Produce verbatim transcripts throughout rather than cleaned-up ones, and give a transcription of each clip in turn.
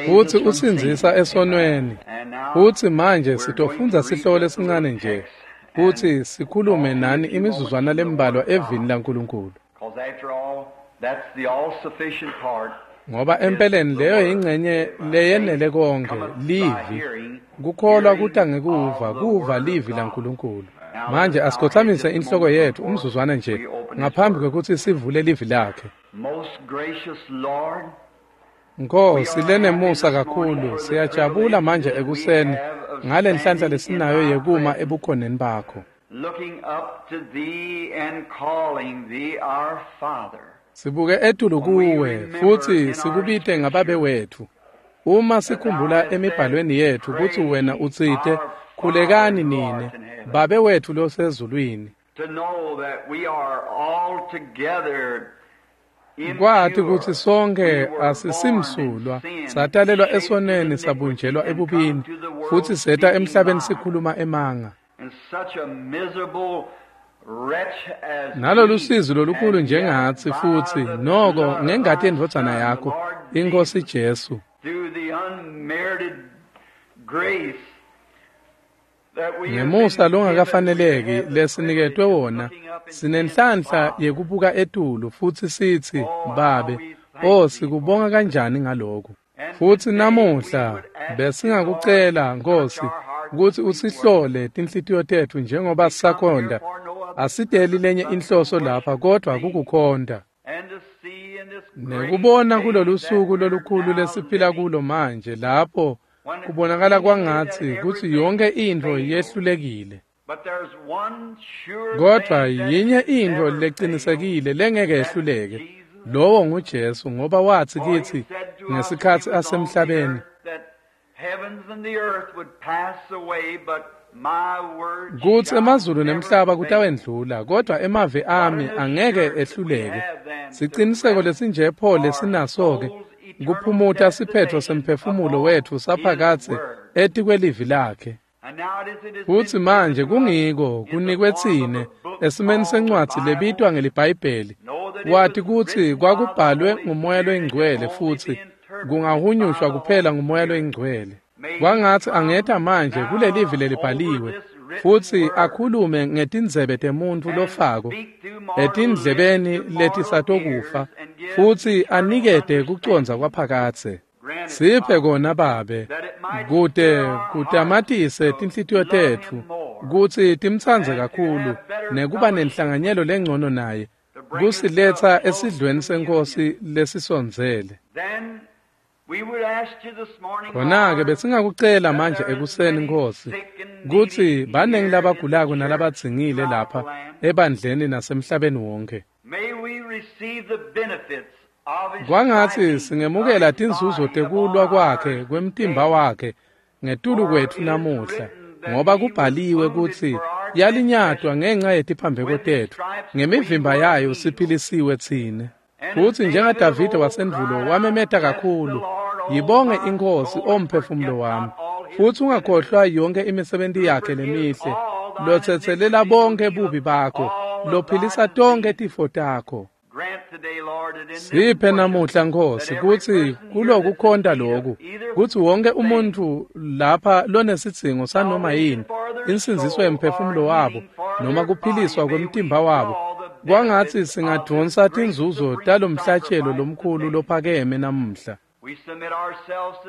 Futsi usindzisa esonweni. Futsi manje sitofundza sihloko lesincane nje kutsi sikhulume nani imizuzwana lembalwa evini laNkulunkulu. Ngoba empeleni leyo yingcenye leyenele konkhe, livi. Kukholwa kuta ngekuva, kuva livi laNkulunkulu. Manje asikhotsamise inhloko yetfu umzuzwana nje ngaphambi kwekutsi sivule livi lakhe. Nkosi lenemusa kakhulu, siyajabula manje ekuseni ngale nhlanhla lesinayo yekuma ebukhoneni bakho. Sibuke etulu kuwe futsi sikubite ngababe wetfu. Uma sikhumbula emibhalweni yetfu kutsi wena utsite khulekani nine Babe wetfu losezulwini. Kwati kutsi sonke asisimsulwa, satalelwa esonweni sabunjelwa ebubini, futsi seta emhlabeni sikhuluma emanga. Nalolu sizi lolukhulu njengatsi futsi noko ngengati yendvodzana yakho, iNkhosi Jesu. Ngemusa longakafaneleki lesiniketwe wona, sinenhlanhla yekubuka etulu futsi sitsi, Babe, oh sikubonga kanjani ngalokhu. Futsi namuhla besingakucela Nkosi kutsi usihlole tinhlitiyo tetfu njengoba sisakhonta. Asideli lenye inhloso lapha kodvwa kukukhonta. Nekubona kulolu suku lolukhulu lesiphila kulo manje lapho kubonakala kwangatsi kutsi yonke intfo yehlulekile. Kodvwa yinye intfo lecinisekile lengeke yehluleke, lowo nguJesu, ngoba watsi kitsi ngesikhatsi asemhlabeni, kutsi emazulu nemhlaba kutawendlula, kodvwa emavi ami angeke ehluleke. Siciniseko lesinje pho lesinaso-ke kuphumuta siphetfo semphefumulo wetfu saphakadze etikwelivi lakhe. Futsi manje kungiko kunikwe tsine esimeni sencwadzi lebitwa ngeliBhayibheli, wati kutsi kwakubhalwe nguMoya loyiNgcwele futsi kungahunyushwa kuphela nguMoya loyiNgcwele. Kwangatsi angeta manje kulelivi lelibhaliwe futsi akhulume ngetindzebe temuntfu lofako etindlebeni letisatokufa futsi anikete kucondza kwaphakadze. Siphe kona Babe, kute kutamatise tinhlitiyo tetfu kutsi timtsandze kakhulu nekuba nenhlanganyelo lengcono naye, kusiletsa esidlweni seNkhosi lesisondzele. Khona-ke besingakucela manje ekuseni Nkosi kutsi banengi labagulako nalabadzingile lapha ebandleni nasemhlabeni wonke. Kwangatsi singemukela tinzuzo tekulwa kwakhe kwemtimba wakhe ngetulu kwetfu namuhla, ngoba kubhaliwe kutsi yalinyatwa ngenca yetiphambeko tetfu, ngemivimba yayo siphilisiwe tsine. Futsi njengaDavide wasendvulo wamemeta kakhulu, yibonge iNkhosi omphefumulo wami, futsi ungakhohlwa yonke imisebenti yakhe lemihle, lotsetselela bonke bubi bakho, lophilisa tonke tifo takho. Siphe namuhla Nkosi kutsi kulokukhonta loku, kutsi wonke umuntfu lapha lonesidzingo sanoma yini, insindziso yemphefumulo wabo noma kuphiliswa kwemtimba wabo, kwangatsi singadvonsa tinzuzo talomhlatshelo lomkhulu lophakeme namuhla.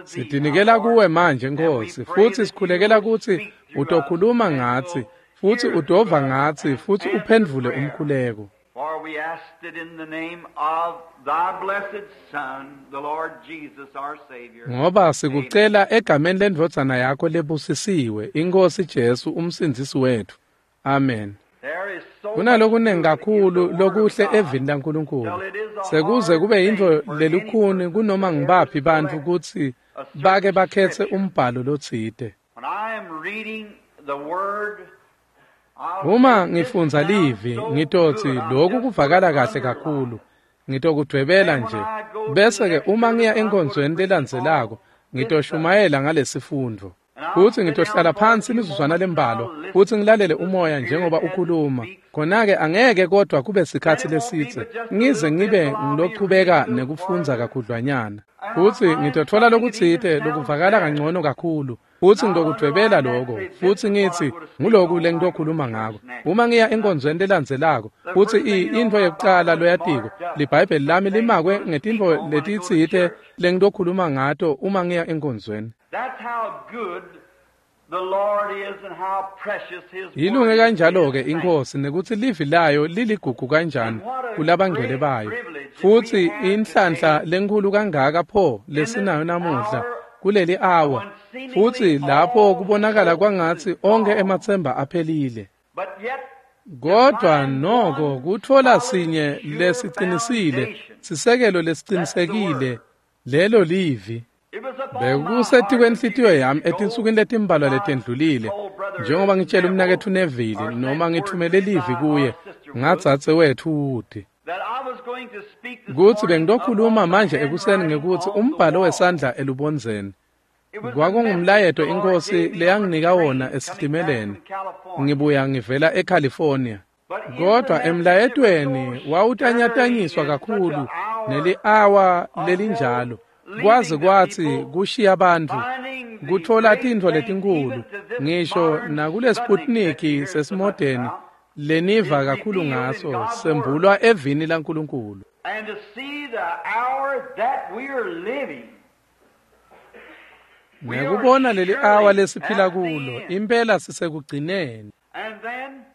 Sitinikela kuwe manje Nkosi, futsi sikhulekela kutsi utokhuluma ngatsi, futsi utova ngatsi, futsi uphendvule umkhuleko. For we asked it in the name of thy blessed Son, the Lord Jesus our Savior. Ngoba sikucela egameni lendvodzana yakho lebusisiwe, iNkhosi Jesu umsindzisi wetfu. Amen. Kunalokunengi kakhulu lokuhle evini laNkulunkulu, sekuze kube yintfo lelukhuni kunoma ngibaphi bantfu kutsi bake bakhetse umbhalo lotsite. Uma ngifundza livi ngitotsi lokhu kuvakala kahle kakhulu, ngitokudvwebela nje, bese-ke uma ngiya enkonzweni lelandzelako ngitoshumayela ngalesifundvo. Futsi ngitohlala phansi imizuzwana lembalwa futsi ngilalele umoya njengoba ukhuluma. Khona-ke angeke kodwa kube sikhatsi lesitse ngize ngibe ngilochubeka nekufundza kakhudlwanyana. Futsi ngitotfola lokutsite lokuvakala kangcono kakhulu. Futsi ngitokudvwebela lokho futsi ngitsi nguloku lengitokhuluma ngako. Uma ngiya enkonzweni lelandzelako futsi intfo yekucala loyatiko liBhayibheli lami limakwe ngetintfo letitsite lengitokhuluma ngato uma ngiya enkonzweni. Yilunge kanjalo-ke iNkhosi nekutsi livi layo liligugu kanjani kulabangcwele bayo. Futsi inhlanhla lenkhulu kangaka pho lesinayo namuhla kuleli awa, futsi lapho kubonakala kwangatsi onkhe ematsemba aphelile. Kodwa noko kutfola sinye lesicinisile, sisekelo lesicinisekile, lelo livi. Bekusetikwenhlitiyo yami etinsukwini letimbalwa letendlulile, njengoba ngitshela umnaketfu Neville noma ngithumele livi kuye ngadzadze wethu Wood, kutsi bengitokhuluma manje ekuseni ngekutsi umbhalo wesandla elubondzeni. Kwakungumlayeto iNkhosi leyanginika wona esitimeleni ngibuya ngivela eCalifornia. Kodwa emlayetweni wawutanyatanyiswa kakhulu neli-awa lelinjalo, kwaze kwatsi kushiya bantfu kutfola tintfo letinkhulu ngisho nakulesiputniki sesimodeni leniva kakhulu ngaso sembulwa evini laNkulunkulu. Ngekubona leli awa lesiphila kulo, impela sisekugcineni.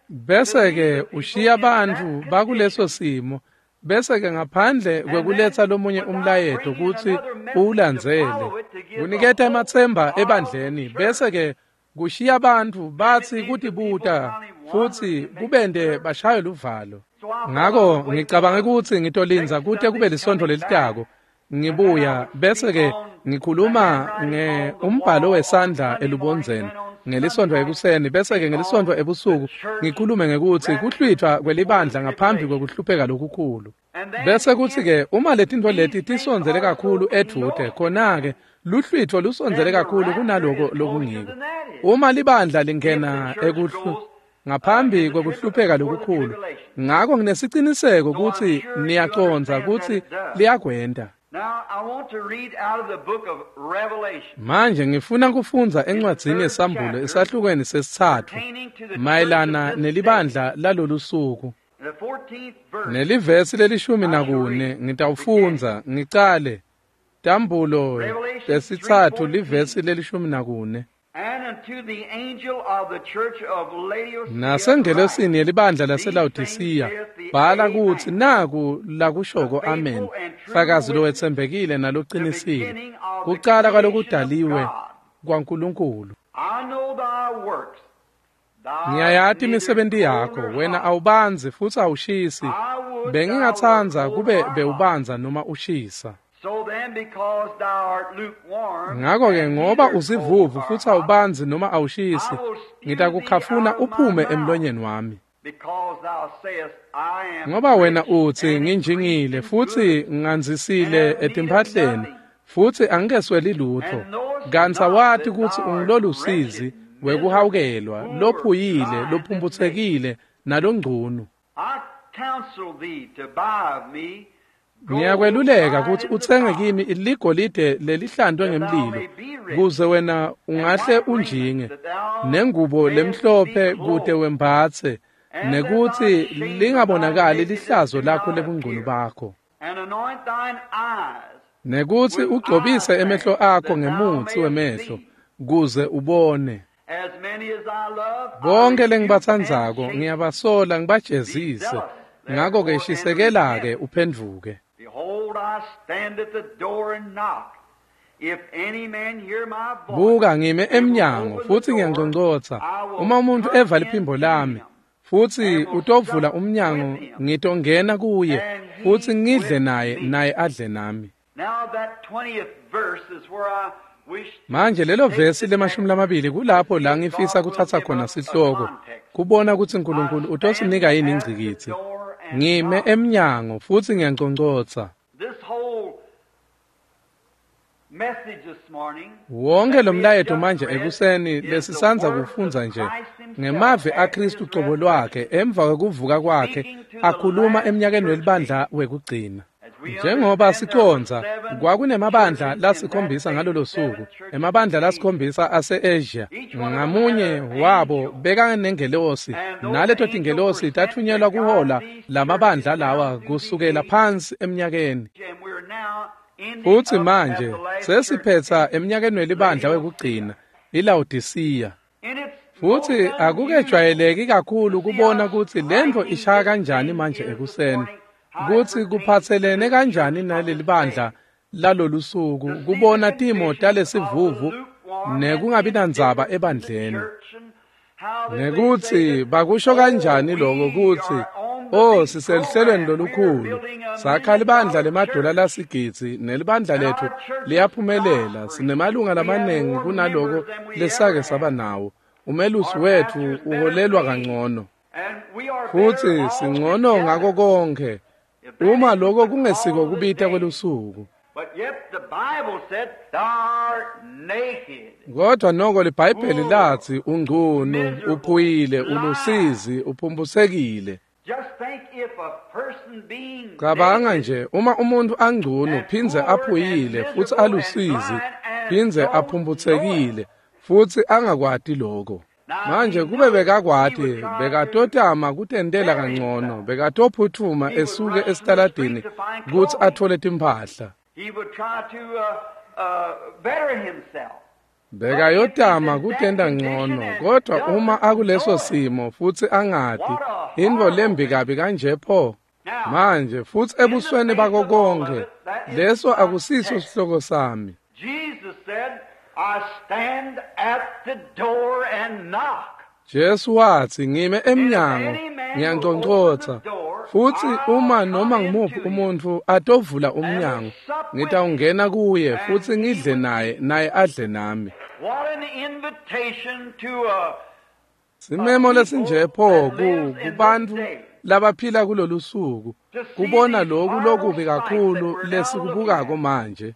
Bese-ke ushiya bantfu bakuleso simo, bese-ke ngaphandle kwekuletsa lomunye umlayeto kutsi uwulandzele, kuniketa ematsemba ebandleni, bese-ke kushiya bantfu batsi kutibuta futsi kubente bashaye luvalo. Ngako ngicabange kutsi ngitolindza kute kube lisontfo lelitako ngibuya, bese-ke ngikhuluma nge umbhalo wesandla elubondzeni ngelisontfo ekuseni, bese-ke ngelisontfo ebusuku ngikhulume ngekutsi kuhlwithwa kwelibandla ngaphambi kwekuhlupheka lokukhulu. Bese kutsi-ke uma letintfo leti tisondzele kakhulu edvute, khona-ke luhlwitfo lusondzele kakhulu kunaloko lokungiko. Uma libandla lingena ekuhlu ngaphambi kwekuhlupheka lokukhulu, ngako nginesiciniseko kutsi niyacondza kutsi liyakwenta. Manje ngifuna kufundza encwadzini yeSambulo esahlukweni sesitsatfu mayelana nelibandla lalolu suku. Nelivesi lelishumi nakune ngitawufundza ngicale Tambulo lesitsatfu livesi lelishumi nakune. Nasengelosini yelibandla laseLawodisiya bhala kutsi naku lakushoko Amen, fakazi lowetsembekile nalocinisile, kucala kwalokudaliwe kwaNkulunkulu. Ngiyayati imisebenti yakho, wena awubandzi futsi awushisi. Bengingatsandza kube bewubandza noma ushisa. Ngako-ke ngoba usivuvu futsi awubandzi noma awushisi, ngitakukhafuna uphume emlonyeni wami. Ngoba wena utsi nginjingile futsi ngandzisile etimphahleni futsi angikesweli lutfo, kantsi awati kutsi ungulolusizi wekuhawukelwa, lophuyile, lophumputsekile nalongcunu. Ngiyakweluleka kutsi utsenge kimi ligolide lelihlantwe ngemlilo, kuze wena ungahle unjinge, nengubo lemhlophe kute wembatse, nekutsi lingabonakali lihlazo lakho lebungcunu bakho, nekutsi ugcobise emehlo akho ngemutsi wemehlo kuze ubone. Bonke lengibatsandzako ngiyabasola ngibajezise, ngako-ke shisekela-ke uphendvuke. Buka, ngime emnyango futsi ngiyanconcotsa. Uma umuntu eva liphimbo lami futsi utovula umnyango, ngitongena kuye futsi ngidle naye, naye adle nami. Manje lelo vesi lemashumi lamabili kulapho la ngifisa kutsatsa khona sihloko, kubona kutsi Nkulunkulu utosinika yini ingcikitsi. Ngime emnyango futsi ngiyanconcotsa. Wonke lo mlayeto manje ekuseni lesisandza kufundza nje ngemavi aKristu cobo lwakhe emva kwekuvuka kwakhe akhuluma eminyakeni welibandla wekugcina. Njengoba siconza kwakunemabandla lasikhombisa ngalolo suku, emabandla lasikhombisa ase-Asia, ngamunye wabo bekanengelosi, naleto tingelosi tathunyelwa kuhola lamabandla lawa kusukela phansi eminyakeni. Futsi manje sesiphetsa eminyakeni welibandla wekugcina, iLawodisiya. Futsi akukejwayeleki kakhulu kubona kutsi lentfo ishaya kanjani manje ekuseni, kutsi kuphatselene kanjani naleli bandla lalolu suku, kubona timo talesivuvu nekungabi nandzaba ebandleni. Nekutsi bakusho kanjani lokho kutsi oh siseluhlelweni lolukhulu, sakha libandla lemadola lasigidzi nelibandla lethu liyaphumelela, sinemalunga lamanengi kunaloko lesake saba nawo, umelusi wetfu uholelwa kangcono futsi singcono ngako konke. Uma lokho kungesiko kubita kwelusuku. Kodwa noko liBhayibheli lathi ungcunu, uphuyile, ulusizi, uphumbusekile. Cabanga nje uma umuntu angcunu phindze aphuyile futsi alusizi phindze aphumbusekile futsi angakwati lokho. Manje kube bekakwati bekatotama kutentela kangcono, bekatophutfuma esuke esitaladini kutsi athole timphahla. Bekayotama kutenta ngcono, kodwa uma akuleso simo futsi angati intfo lembi kabi kanje pho. Manje futsi ebusweni bako konke, leso akusiso sihloko sami. I stand at the door and knock. Jesu watsi ngime emnyango ngiyanconcotsa, futsi uma noma ngimuphi umuntfu atovula umnyango ngitawungena kuye futsi ngidle naye naye adle nami. Simemo lesinje pho ku kubantfu labaphila kulolu suku kubona loku lokubi kakhulu lesikubukako manje.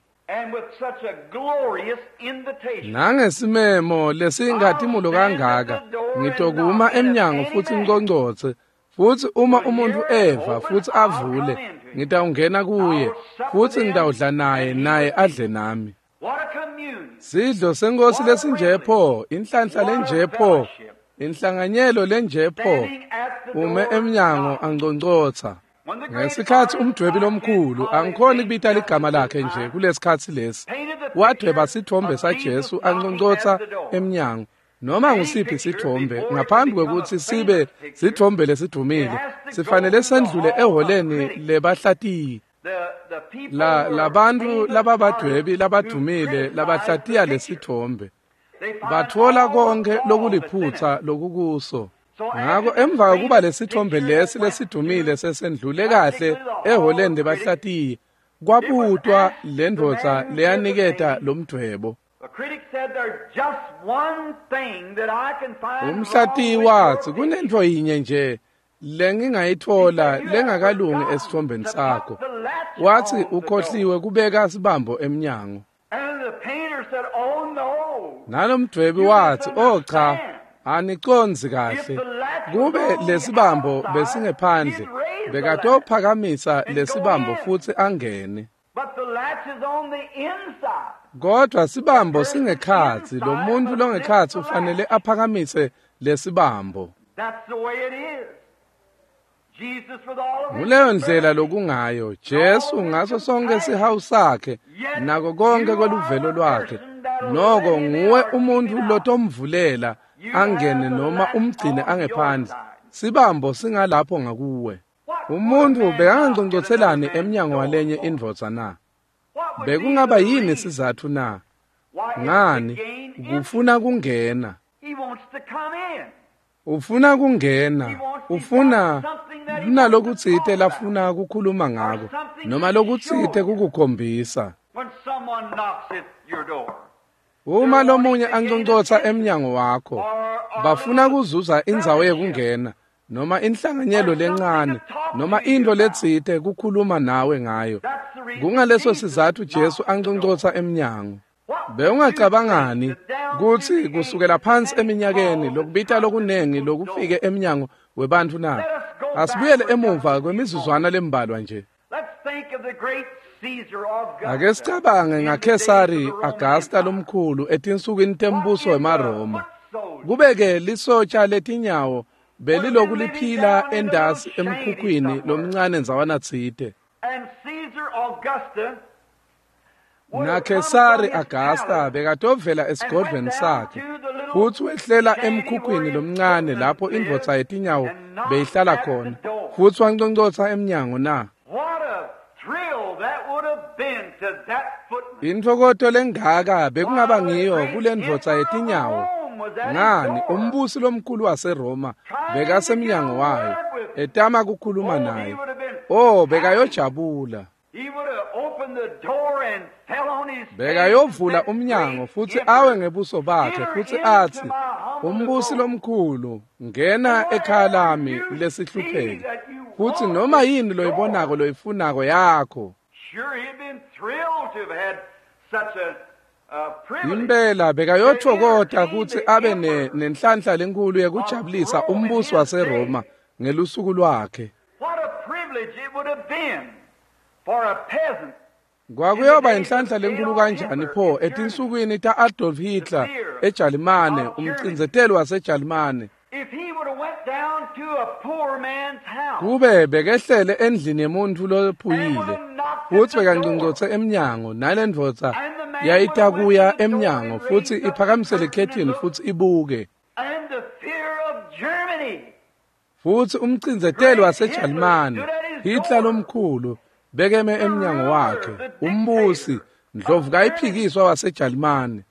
Nangesimemo lesingatimulo kangaka ngitokuma emnyango futsi ngiconcotse, futsi uma umuntu eva futsi avule ngitawungena kuye futsi ngitawudla naye naye adle nami. Sidlo senkosi lesinje pho, inhlanhla lenje pho, inhlanganyelo lenje pho, ume emnyango anconcotsa. Ngesikhatsi umdwebi lomkhulu, angikhoni kubita ligama lakhe nje kulesikhatsi lesi, wadweba sithombe saJesu anconcotsa emnyango. Noma ngusiphi sithombe ngaphambi kwekutsi sibe sithombe lesidvumile sifanele sendlule eholeni lebahlatiyi. La labantfu lababadwebi labadvumile labahlatiya lesithombe batfola konke lokuliphutsa lokukuso. Ngako emva kokuba lesithombe lesi lesidumile sesendlule kahle eholeni lebahlatiyi, kwabutwa lendvodza leyaniketa lomdvwebo. Umhlatiyi watsi kunentfo yinye nje lengingayitfola lengakalungi esithombeni sakho. Watsi ukhohliwe kubeka sibambo emnyango. Nalomdvwebi watsi oh cha, anicondzi kahle. Kube lesibambo besingephandle bekatophakamisa lesibambo futsi angene. Kodwa sibambo singekhatsi, lo muntu longekhatsi ufanele aphakamise lesibambo. Nguleyo ndlela lokungayo Jesu ngaso sonke sihawu sakhe nako konke kweluvelo lwakhe, noko nguwe umuntu lotomvulela angene noma umgcine angephandle. Sibambo singalapho ngakuwe. Umuntu bekanganconcotselani emnyango walenye indvodza na? Bekungaba yini sizatfu na? Ngani? Kufuna kungena. Ufuna kungena, ufuna kunalokutsite lafuna kukhuluma ngako noma lokutsite kukukhombisa. Uma lomunye anconcotsa emnyango wakho, bafuna kuzuza indzawo yekungena noma inhlanganyelo lencane, noma into letsite kukhuluma nawe ngayo. Kungaleso sizatfu Jesu anconcosa emnyango. Bewungacabangani kutsi kusukela phansi eminyakeni lokubita lokunengi lokufike emnyango webantfu na? Asibuyele emuva kwemizuzwana lembalwa nje. Ake sicabange ngaKhesari Augusta lomkhulu etinsukwini tembuso wemaRoma. Kube-ke lisotsha letinyawo beliloku liphila endasi emkhukhwini lomncane ndzawana tsite. NaKhesari Augusta bekatovela esigodlweni sakhe futsi wehlela emkhukhwini lomncane lapho indvodza yetinyawo beyihlala khona futsi wanconcotsa emnyango na. Intfokoto lengaka bekungaba ngiyo kulendvodza yetinyawo. Ngani, umbusi lomkhulu waseRoma bekasemnyango wayo etama kukhuluma naye. Oh, bekayojabula. Bekayovula umnyango futsi awe ngebuso bakhe futsi atsi, umbusi lomkhulu, ngena ekhaya lami lesihlupheki, futsi noma yini loyibonako loyifunako yakho. Impela bekayotfokota kutsi abe nenhlanhla lenkulu yekujabulisa umbusi waseRoma ngelusuku lwakhe. Kwakuyoba inhlanhla lenkulu kanjani pho etinsukwini ta-Adolf Hitler eJalimane, umcindzeteli waseJalimane. Kube bekehlele endlini yemuntfu lophuyile futsi bekanconcotse emnyango, nalendvodza yayitakuya emnyango futsi iphakamise likhethini futsi ibuke. Futsi umcindzeteli waseJalimane, Hitler lomkhulu, bekeme emnyango wakhe, umbusi, ndlovukayiphikiswa waseJalimane.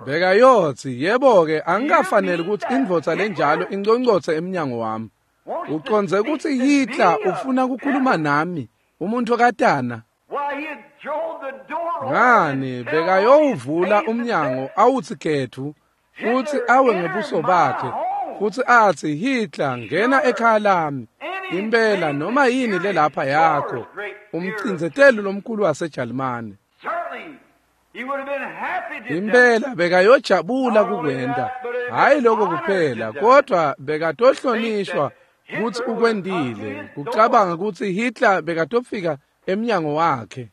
Bekayotsi, yebo-ke, angikafaneli kutsi indvodza lenjalo inconcotse emnyango wami. Ucondze kutsi Hitler ufuna kukhuluma nami, umuntfu katana. Ngani, bekayowuvula umnyango awutsi ketfu futsi awe ngebuso bakhe futsi atsi, Hitler, ngena ekhaya lami. Impela noma yini lelapha yakho, umcindzeteli lomkhulu waseJalimane. Impela bekayojabula kukwenta, hhayi lokho kuphela, kodwa bekatohlonishwa kutsi ukwentile, kucabanga kutsi Hitler bekatofika emnyango wakhe.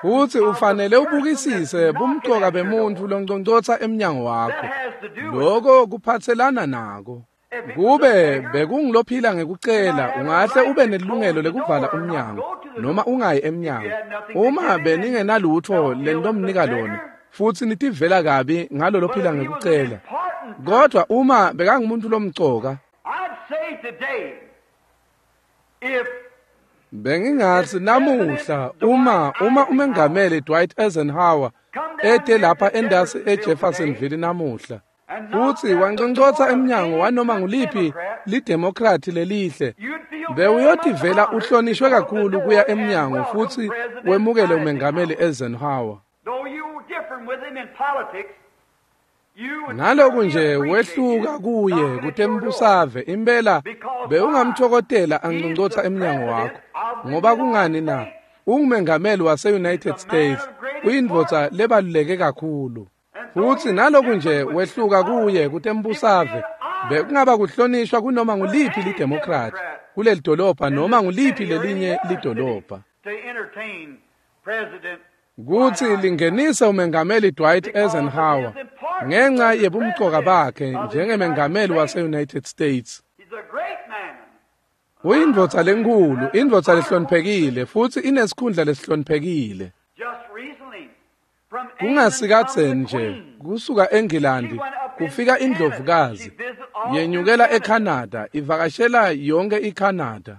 Futsi ufanele ubukisise bumcoka bemuntfu lonconcotsa emnyango wakho. Loko kuphatselana nako. Kube bekungulophila ngekucela, ungahle ube nelilungelo lekuvala umnyango noma ungayi emnyango. Uma beningenalutfo lentomnika lona, futsi nitivela kabi ngalo lophila ngekucela. Kodwa uma bekangumuntu lomcoka, bengingatsi namuhla uma uma umengameli Dwight Eisenhower ete lapha endasi eJeffersonville namuhla futsi wanconcotsa emnyango wanoma nguliphi lidemokrathi lelihle, bewuyotivela uhlonishwe kakhulu kuya emnyango futsi wemukele umengameli Eisenhower. Naloku nje wehluka kuye kutembusave, impela bewungamthokotela anconcotsa emnyango wakho. Ngoba kungani na? Ungumengameli wase-United States, uyindvodza lebaluleke kakhulu. Futsi naloku nje wehluka kuye kutembusave, bekungaba kuhlonishwa kunoma nguliphi lidemokrathi kuleli dolobha noma nguliphi lelinye lidolobha, kutsi lingenise umengameli Dwight Eisenhower ngenxa yebumcoka bakhe njengemengameli wase-United States. Uyindvodza lenkhulu, indvodza lehloniphekile, futsi inesikhundla lesihloniphekile. Kungasikadzeni nje kusuka eNgilandi kufika indlovukazi yenyukela eCanada, ivakashela yonke iCanada.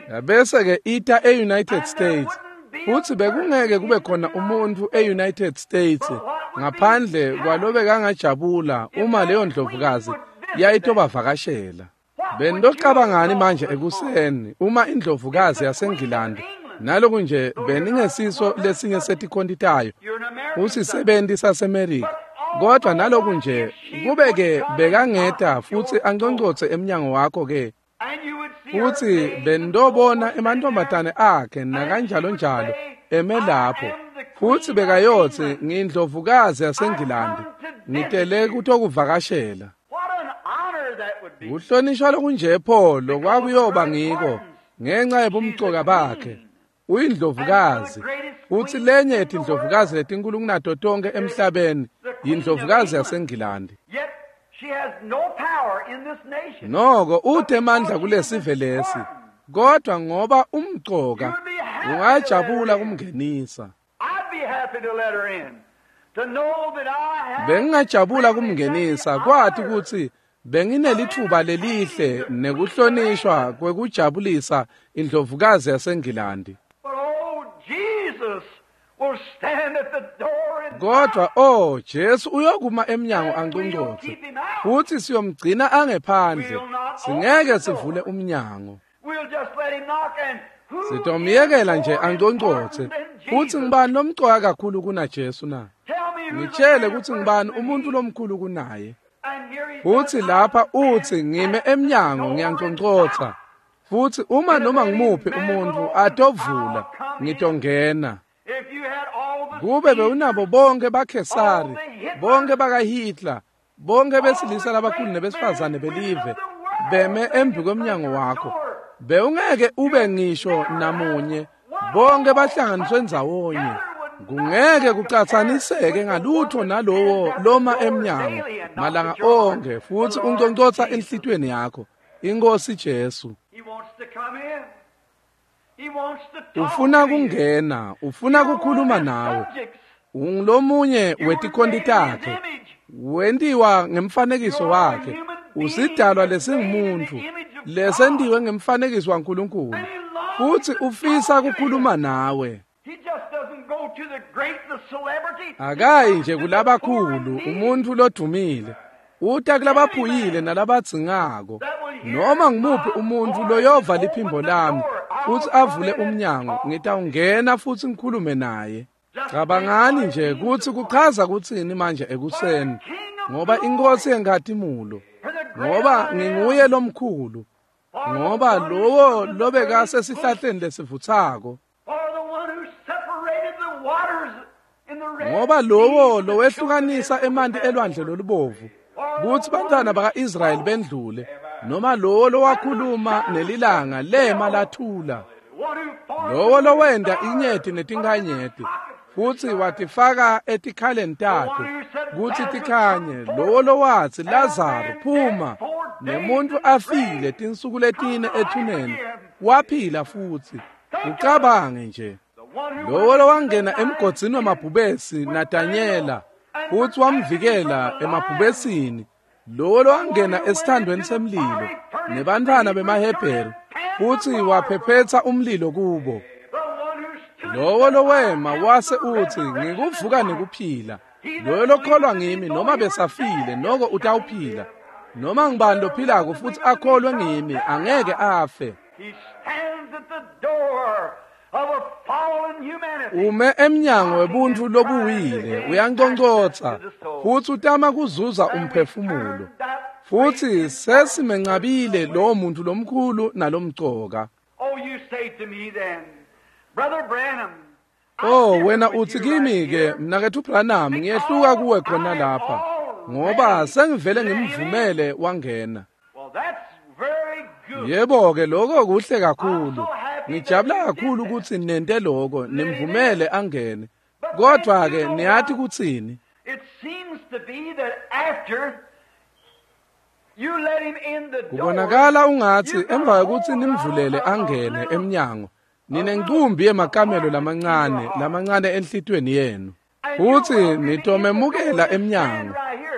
Yabese-ke ita e-United States, futsi bekungeke kube khona umuntfu e-United States ngaphandle kwalobekangajabula uma leyo ndlovukazi yayitobavakashela. Bendocabangani manje ekuseni uma indlovukazi yaseNgilandi naloku nje beningesiso lesinye setikhonti tayo usisebenti saseMerika kodwa naloku nje kube-ke bekangeta futsi anconcotse emnyango wakho-ke futsi bendobona emantombazane akhe nakanjalo njalo eme lapho futsi bekayotsi ngindlovukazi yaseNgilandi ngitele kutokuvakashela. Kuhlonishwa lokunje pho lokwakuyoba ngiko ngenxa yebumcoka bakhe. Uyindlovukazi futsi lenye yetindlovukazi letinkulu kunato tonke emhlabeni yindlovukazi yaseNgilandi. Noko ute emandla kulesive lesi kodwa ngoba umcoka ungajabula kumngenisa. Bengingajabula kumngenisa kwathi kutsi benginelitfuba lelihle nekuhlonishwa kwekujabulisa indlovukazi yaseNgilandi. Kodwa oh Jesu uyokuma emnyango anconcotse futsi siyomgcina angephandle singeke sivule umnyango. Sitomyekela nje anconcotse futsi ngibani lomcoka kakhulu kunaJesu na? Ngitshele kutsi ngibani umuntu lomkhulu kunaye. Futsi lapha utsi ngime emnyango ngiyanconcotsa futsi uma noma ngimuphi umuntu atovula ngitongena. Kube bewunabo bonke baKhesari, bonke bakaHitler, bonke besilisa labakhulu nebesifazane belive beme embi kwemnyango wakho bewungeke ube ngisho namunye bonke bahlanganiswe ndzawonye kungeke kucatsaniseke ngalutho nalowo loma emnyango malanga onke futsi unconcotsa enhlitiyweni yakho iNkosi Jesu. Ufuna kungena, ufuna kukhuluma nawe. Ungulomunye wetikhonti takhe, wentiwa ngemfanekiso wakhe, usidalwa lesingumuntu lesentiwe ngemfanekiso waNkulunkulu futsi ufisa kukhuluma nawe. Akayi nje kulabakhulu umuntu lodumile, uta kulabaphuyile nalabadzingako. Noma ngimuphi umuntu loyova liphimbo lami futsi avule umnyango ngitawungena futsi ngikhulume naye. Cabangani nje kutsi kuchaza kutsini manje ekuseni ngoba iNkosi yenkhatimulo, ngoba nginguye lomkhulu, ngoba lowo lobekasesihlahleni lesivutsako, ngoba lowo lowehlukanisa emanti elwandle lolubovu kutsi bantwana baka-Israyeli bendlule, noma lowo lowakhuluma nelilanga lema lathula, lowo lowenda inyeti netinkanyeti futsi watifaka etikhaleni takhe kutsi tikhanye, lowo lowatsi Lazaro phuma nemuntu afile tinsuku letine ethuneni waphila futsi. Ucabange nje lowo lowangena emgodzini wamabhubesi naDanyela futsi wamvikela emabhubesini, lowo lowangena esithandweni semlilo nebantfwana bemaHebheru futsi waphephetsa umlilo kubo, lowo lowema wase utsi ngikuvuka nekuphila, loyo lokholwa ngimi noma besafile noko utawuphila, noma ngibani lophilako futsi akholwe ngimi angeke afe. Ume emnyango webuntu lobuwile uyanconcotsa futsi utama kuzuza umphefumulo futsi sesimencabile lowo muntu lomkhulu nalomcoka. Oh wena utsi kimi ke mnaketfu Branham ngiyehluka kuwe khona lapha ngoba sengivele ngimvumele wangena. Yebo ke lokho kuhle kakhulu. Ngijabula kakhulu kutsi nente lokho nimvumele angene. Kodwa ke niyathi kutsini? Kubonakala ungatsi emva kwekutsi nimvulele angene emnyango ninencumbi yemakamelo lamancane lamancane enhlitiyweni yenu futsi nitomemukela emnyango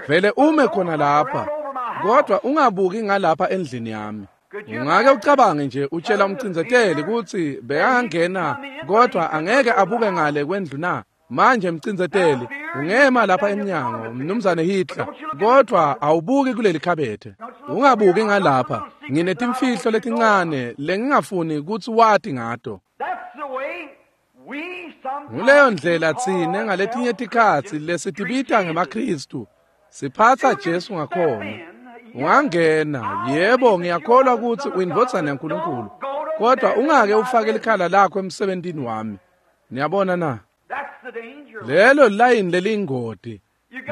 vele ume khona lapha kodwa ungabuki ngalapha endlini yami. Ungake ucabange nje utshela umcindzeteli kutsi bekangena kodwa angeke abuke ngale kwendlu na? Manje mcindzeteli Ungema lapha emnyango, Mnumzane Hitler, kodwa awubuki kuleli khabethe. Ungabuki ngalapha. Nginetimfihlo letincane lengingafuni ukuthi wati ngato. Nguleyo ndlela tsine ngaletinye tikhatsi lesitibita ngemaKristu. Siphatsa Jesu ngakhona. Ungangena, yebo, ngiyakholwa ukuthi uyindvodzana yaNkulunkulu, kodwa ungake ufake likhala lakho emsebentini wami. Niyabona na? Lelo layini lelingoti.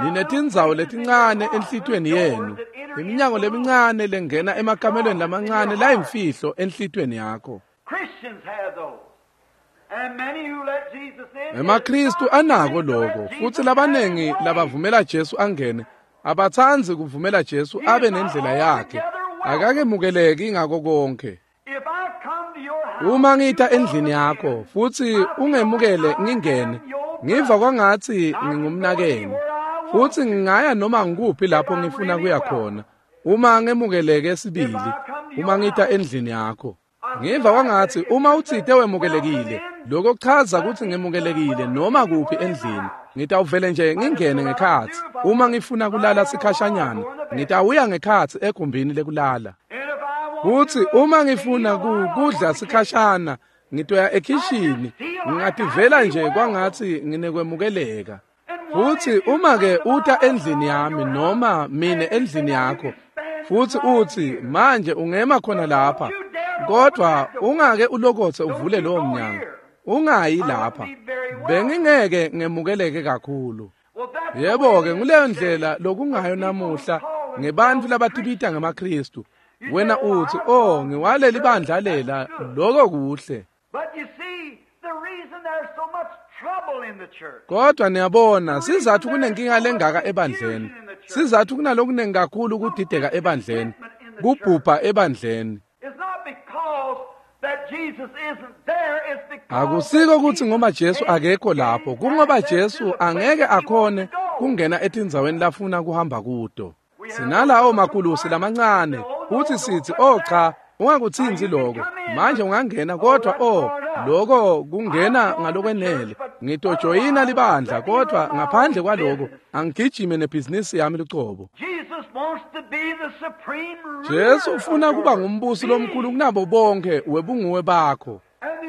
Ninetindzawo letincane enhlitiyweni yenu, iminyango lemincane lengena emakamelweni lamancane layimfihlo enhlitiyweni yakho. EmaKristu anako lokho, futsi labanengi labavumela Jesu angene abatsandzi kuvumela Jesu abe nendlela yakhe. Akakemukeleki ngako konke. Uma ngita endlini yakho futsi ungemukele ngingene, ngiva kwangatsi ngingumnakeni, futsi ngingaya noma ngikuphi lapho ngifuna kuya khona. Uma ngemukeleke sibili, uma ngita endlini yakho, ngiva kwangatsi uma utsite wemukelekile, lokho kuchaza kutsi ngemukelekile noma kuphi endlini. Ngitawuvele nje ngingene ngekhatsi. Uma ngifuna kulala sikhashanyana, ngitawuya ngekhatsi egumbini lekulala. Futsi uma ngifuna kudla sikhashana, ngitoya ekhishini. Ngingativela nje kwangatsi nginekwemukeleka. Futsi uma ke uta endlini yami noma mine endlini yakho, futsi utsi manje ungema khona lapha, kodwa ungake ulokotse uvule lowo mnyango, ungayi lapha, bengingeke ngemukeleke kakhulu. Yebo-ke, nguleyo ndlela lokungayo namuhla ngebantfu labatibita ngemaKristu. Wena utsi, oh, ngiwaleli bandla lela, lokho kuhle. Kodwa niyabona, sizathu kunenkinga lengaka ebandleni. Sizathu kunalokunengi kakhulu kudideka ebandleni, kubhubha ebandleni. Akusiko ukuthi ngoba Jesu akekho lapho, kungoba Jesu angeke akhone kungena etindzaweni lafuna kuhamba kuto. Sinalawo makulusi lamancane, kuthi sithi, oh cha, ungakutsinzi lokho. Manje ungangena, kodwa oh, lokho kungena ngalokwenele. Ngitojoyina libandla, kodwa ngaphandle kwaloko angigijime nebhizinisi yami lucobo. Jesu ufuna kuba ngumbusi lomkhulu kunabo bonke webunguwe bakho.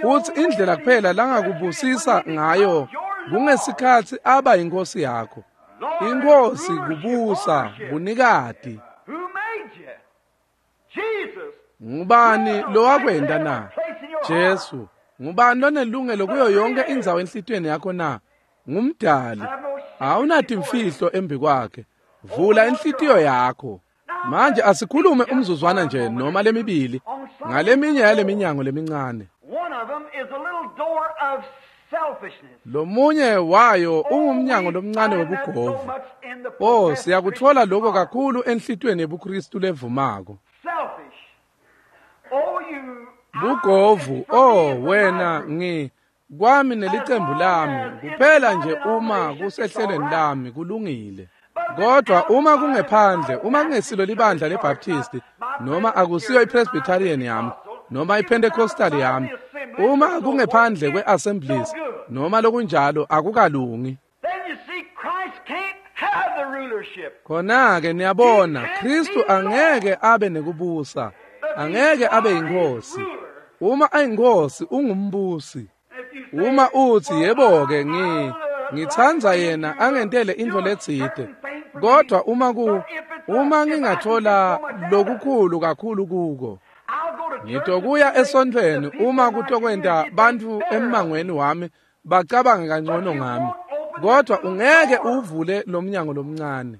Futsi indlela kuphela langakubusisa ngayo kungesikhatsi aba inkosi yakho. Inkosi kubusa bunikati. Ngubani lowakwenta na? Jesu. Ngubani lonelungelo kuyo yonke indzawo enhlitiyweni yakho na? Ngumdali. Awunatimfihlo embi kwakhe. Vula inhlitiyo yakho. Manje asikhulume umzuzwana nje noma lemibili ngaleminye yaleminyango lemincane. Lomunye wayo ungumnyango lomncane webugovu. Oh, siyakutfola lokho kakhulu enhlitiyweni yebuKristu levumako. Bugovu, oh wena, ngi kwami nelicembu lami kuphela nje uma kusehlelweni lami kulungile. Kodwa uma kungephandle, uma kungesilo libandla leBaptist, noma akusiyo iPresbyterian yami, noma iPentecostal yami, uma kungephandle kweAssemblies noma lokunjalo, akukalungi. Khona-ke niyabona, Kristu angeke abe nekubusa, angeke abe yinkosi. Uma ayinkosi, ungumbusi. Uma utsi, yebo-ke, ngi ngitsandza yena angentele intfo letsite, kodwa uma ku uma ngingathola lokukhulu kakhulu kuko, ngitokuya esontfweni uma kutokwenta bantfu emmangweni wami bacabange kangcono ngami, kodwa ungeke uvule lomnyango lomncane.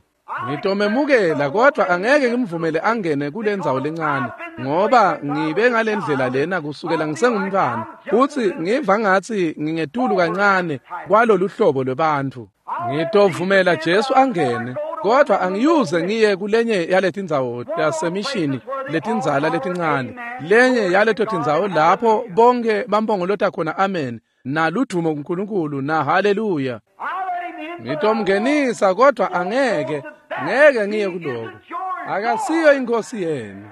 Ngitomemukela, kodwa angeke ngimvumele angene kule ndzawo lencane, ngoba ngibe ngalendlela lena kusukela ngisengumntwana, futsi ngiva ngatsi ngingetulu kancane kwalolu hlobo lwebantfu. Ngitovumela Jesu angene, kodwa angiyuze ngiye kulenye yaletindzawo tasemishini letindzala letincane, lenye yaleto tindzawo lapho bonke bambongolota khona amen naludumo kuNkulunkulu na haleluya. Ngitomngenisa, kodwa angeke ngeke ngiye kuloko. Akasiyo inkosi yenu.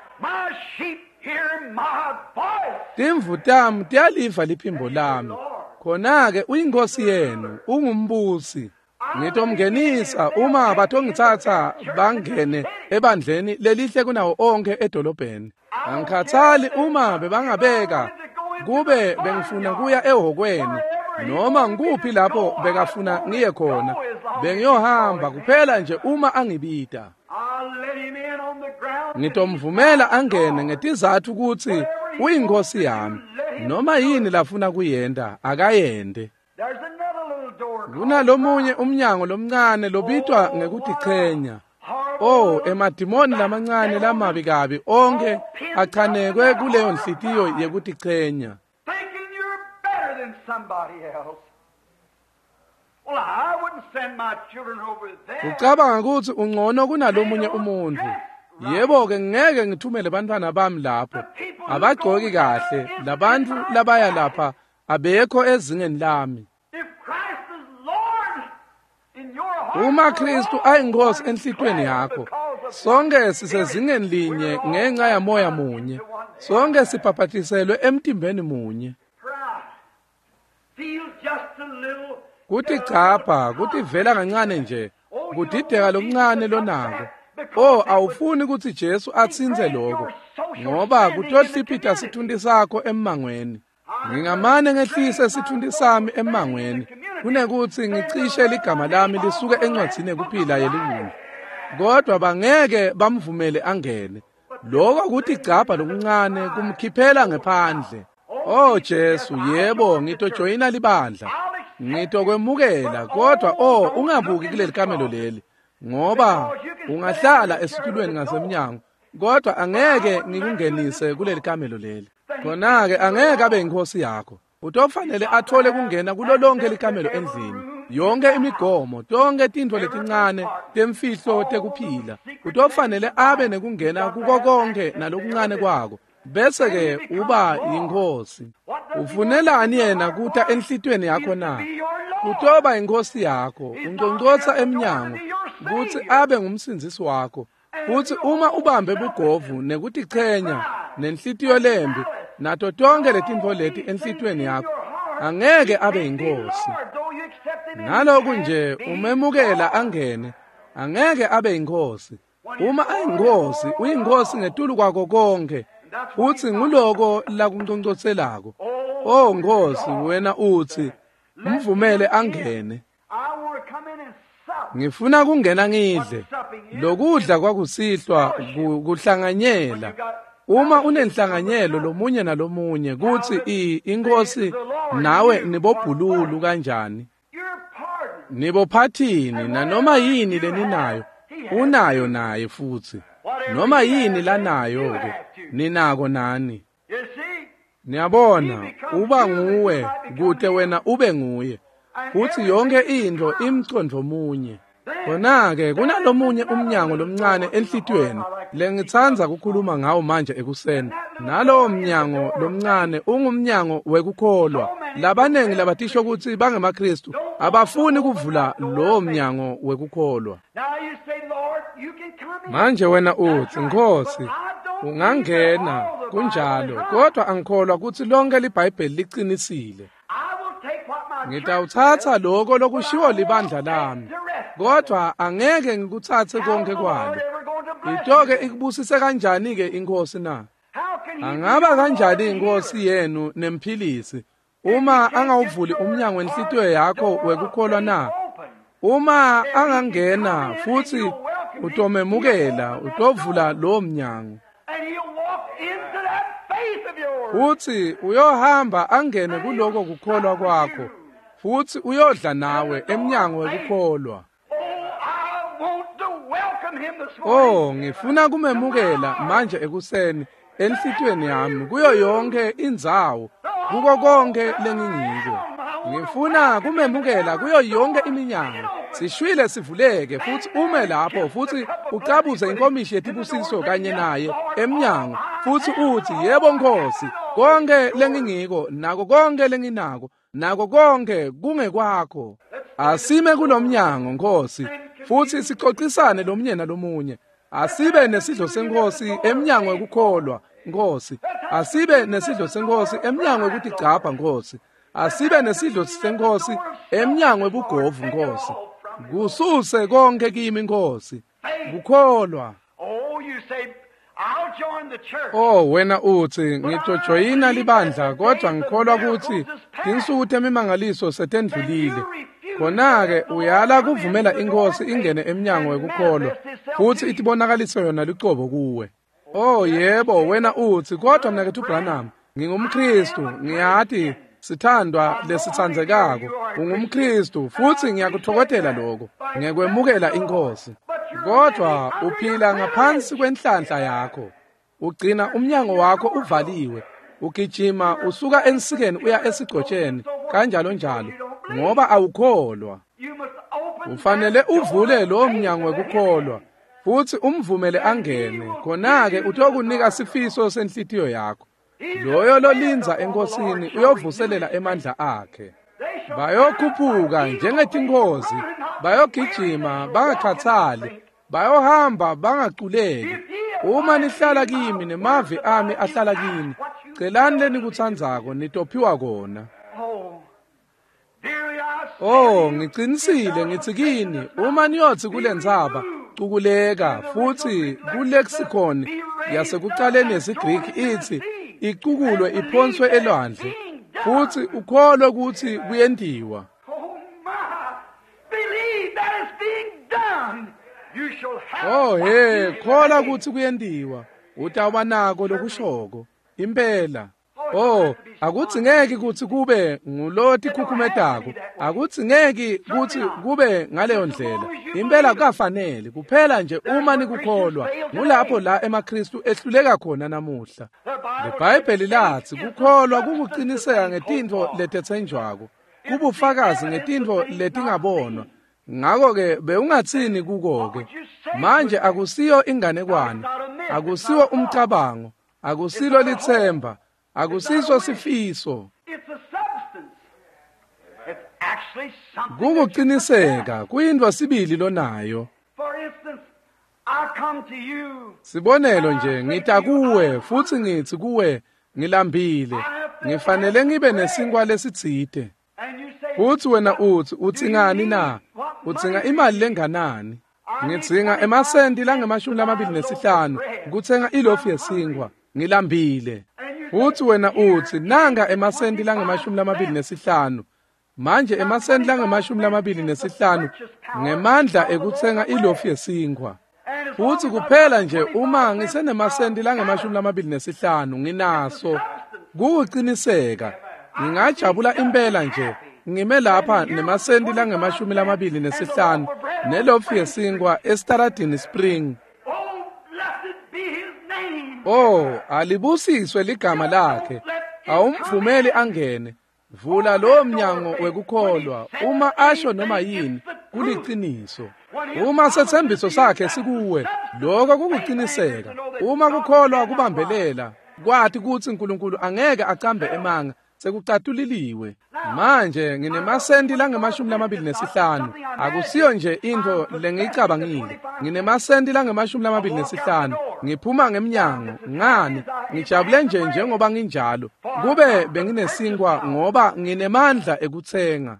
Timvu tami tiyaliva liphimbo lami. Khona-ke uyinkosi yenu, ungumbusi. Ngitomngenisa uma batongitsatsa bangene ebandleni lelihle kunawo onke edolobheni. Angikhathali uma bebangabeka kube bengifuna kuya ehhokweni noma ngikuphi lapho bekafuna ngiye khona, bengiyohamba kuphela nje uma angibita. Ngitomvumela angene ngetizatfu kutsi uyinkosi yami. Noma yini lafuna kuyenta akayente. Kunalomunye umnyango lomncane lobitwa ngekutichenya. Oh, emadimoni lamancane lamabi kabi onke achanekwe kuleyo nhliziyo yekutichenya. Ucabanga kutsi ungcono kunalomunye umuntfu. Yebo-ke, ngeke ngithumele bantfwana bami lapho. Abagcoki kahle. Labantfu labaya lapha abekho ezingeni lami. Uma Kristu ayinkosi enhlitiyweni yakho, sonke sisezingeni linye ngenxa yamoya munye. Sonke sibhabhatiselwe emtimbeni munye. Kutigcabha, kutivela kancane nje, kudideka lokuncane lonako. Oh, awufuni kutsi Jesu atsintse lokho, ngoba kutohliphita sitfunti sakho emmangweni. Ngingamane ngehlise sitfunti sami emmangweni kunekutsi ngicishe ligama lami lisuke encwadzini yekuphila yeliwundlu. Kodwa bangeke bamvumele angene. Lokho kutigcabha lokuncane kumkhiphela ngephandle. Oh Jesu, yebo, ngitojoyina libandla. Ngitokwemukela, kodwa oh ungabuki kuleli kamelo leli, ngoba ungahlala esitulweni ngasemnyango, kodwa angeke ngikungenise kuleli kamelo leli. Khona-ke angeke abe inkosi yakho. Utofanele athole kungena kulo lonke likamelo endlini, yonke imigomo, tonke tintfo letincane temfihlo tekuphila. Utofanele abe nekungena kuko konke nalokuncane kwako, bese-ke uba yinkosi. Ufunelani yena kuta enhlitiyweni yakho na? Kutoba inkosi yakho. Unconcotsa emnyango kutsi abe ngumsindzisi wakho. Futsi uma ubambe bugovu nekutichenya nenhlitiyo lembi nato tonke letintfo leti enhlitiyweni yakho, angeke abe yinkosi. Naloku nje umemukela angene, angeke abe yinkosi. Uma ayinkosi, uyinkosi ngetulu kwako konke, futsi nguloko lakunconcotselako. Oh Nkosi, wena utsi mvumele angene. Ngifuna kungena ngidle. Lokudla kwakusihlwa kuhlanganyela. Uma unenhlanganyelo lomunye nalomunye kutsi inkosi nawe nibobhululu kanjani, nibophathini, nanoma yini leninayo unayo naye futsi, noma yini lanayo ke ninako nani. Niyabona, uba nguwe kute wena ube nguye, futsi yonke intfo imcondvo munye. Khona-ke kunalomunye umnyango lomncane enhlitiyweni lengitsandza kukhuluma ngawo manje ekuseni. Nalowo mnyango lomncane ungumnyango wekukholwa. Labanengi labatisho kutsi bangemaKristu abafuni kuvula lowo mnyango wekukholwa. Manje wena utsi, Nkosi, ungangena, kunjalo, kodwa angikholwa kutsi lonke liBhayibheli liqinisile. Ngitawutsatsa loko lokushiwo libandla lami, kodwa angeke ngikutsatse konke kwalo. Itoke ikubusise kanjani-ke inkosi na? Angaba kanjani inkosi yenu nemphilisi uma angawuvuli umnyango wenhlitiyo yakho wekukholwa na? Uma angangena futsi utomemukela, utovula lowo mnyango, futsi uyohamba angene kuloko kukholwa kwakho, futsi uyodla nawe emnyango wekukholwa. Oh, ngifuna kumemukela manje ekuseni enhlitiyweni yami, kuyo yonke indzawo, kuko konke lengingiko. Ngifuna kumemukela kuyo yonke iminyango. Sishwile sivuleke futsi ume lapho futsi ucabuze inkomishi yetibusiso kanye naye emnyango, futsi utsi, yebo Nkosi, konke lengingiko nako konke lenginako nako konke kungekwakho. Asime kulomnyango Nkosi, futsi sicocisane lomunye nalomunye. Asibe nesidlo senkosi emnyango wekukholwa Nkosi. Asibe nesidlo senkosi emnyango wekutigcabha Nkosi. Asibe nesidlo senkosi emnyango webugovu Nkosi. Kususe konke kimi Nkosi. Kukholwa. Oh, wena uthi ngitojoyina libandla kodwa ngikholwa ukuthi tinsuku temimangaliso setendlulile. Khona-ke uyala kuvumela inkosi ingene emnyango wekukholwa futhi itibonakaliso yona lucobo kuwe. Oh yebo, wena uthi kodwa mnaketfu Branham, ngingumKristu, ngiyati sithandwa lesitsandzekako, ungumKristu futhi ngiyakuthokothela lokho ngekwemukela inkosi. Kodwa uphila ngaphansi kwenhlanhla yakho. Ugcina umnyango wakho uvaliwe. Ugijima usuka ensikeni uya esigcotsheni kanjalo njalo ngoba awukholwa. Ufanele uvule lo mnyango wekukholwa futhi umvumele angene, khona-ke utokunika sifiso senhlitiyo yakho. Loyo lolinza enkosini uyovuselela emandla akhe. Bayokhuphuka njengetinkozi, bayogijima bangakhathali, bayohamba bangaculeki. Uma nihlala kimi nemavi ami ahlala kini, celani lenikutsandzako nitophiwa kona. Oh, ngicinisile ngithi kini, uma niyothi kulendzaba cukuleka, futhi kulexicon yasekuqaleni yesiGriki ithi icukulwe iphonswe elwandle, futhi ukholwe ukuthi kuyentiwa. Oh he, kholwa ukuthi kuyentiwa, utawuba nako lokushoko impela. Oh, akudzingeki kutsi kube nguloti khukhumetako, akudzingeki kutsi kube ngaleyo ndlela. Impela kukafanele, kuphela nje uma nikukholwa. Ngulapho la emaKristu ehluleka khona namuhla. LiBhayibheli latsi kukholwa kukuqiniseka ngetintfo letetsenjwako, kubufakazi ngetintfo letingabonwa. Ngakho-ke bewungatsini kuko-ke? Manje akusiyo inganekwane, akusiwo umcabango, akusilo litsemba, akusiso sifiso. Kukuqiniseka kuyintfo sibili lonayo. Sibonelo nje, ngita kuwe futhi ngithi kuwe ngilambile, ngifanele ngibe nesinkwa lesitsite. Futhi wena uthi utsingani na? Utsinga imali lenganani? Ngitsinga emasenti langemashumi lamabili nesihlanu kutsenga ilofu yesinkwa, ngilambile. Futhi wena uthi nanga emasenti langemashumi lamabili nesihlanu. Manje emasenti langemashumi lamabili nesihlanu ngemandla ekutsenga ilofu yesinkwa. Futhi kuphela nje uma ngisenemasenti langemashumi lamabili nesihlanu nginaso, kukuqiniseka ngingajabula impela nje ngime lapha nemasenti langemashumi lamabili nesihlanu nelofu yesinkwa eStaradini Spring. Oh, alibusiswe ligama lakhe. Awumvumeli angene. Vula lowo mnyango wekukholwa. Uma asho noma yini, kuliciniso. Uma setsembiso sakhe sikuwe, lokho kukuqiniseka. Uma kukholwa kubambelela, kwathi kutsi uNkulunkulu angeke acambe emanga, sekucatuliliwe. Manje nginemasenti langemashumi lamabili nesihlanu. Akusiyo nje intfo lengiyicabangile. Nginemasenti langemashumi lamabili nesihlanu. Ngiphuma ngemnyango ngani? Ngijabule nje njengoba nginjalo. Kube benginesinkwa ngoba nginemandla ekutsenga.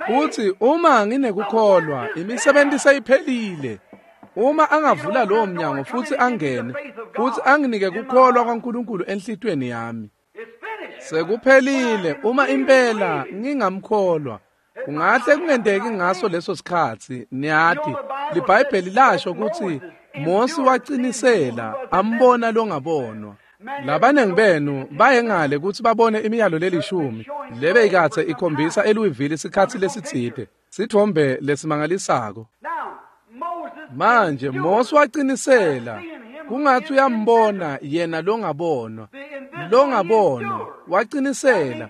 Futhi uma nginekukholwa, imisebenzi seyiphelile. Uma angavula lowo mnyango futhi angene, futhi anginike kukholwa kwaNkulunkulu enhlitiyweni yami, sekuphelile. Uma impela ngingamkholwa, kungahle kungenteki ngaso leso sikhatsi. Niyati, liBhayibheli lasho ukuthi Mosi wacinisela ambona longabonwa. Labanengi benu baye ngale kutsi babone imiyalo lelishumi lebeyikatse ikhombisa eLouisville isikhatsi lesitsite, sithombe lesimangalisako. Manje Mosi wacinisela, kungatsi uyambona yena longabonwa, longabonwa wacinisela.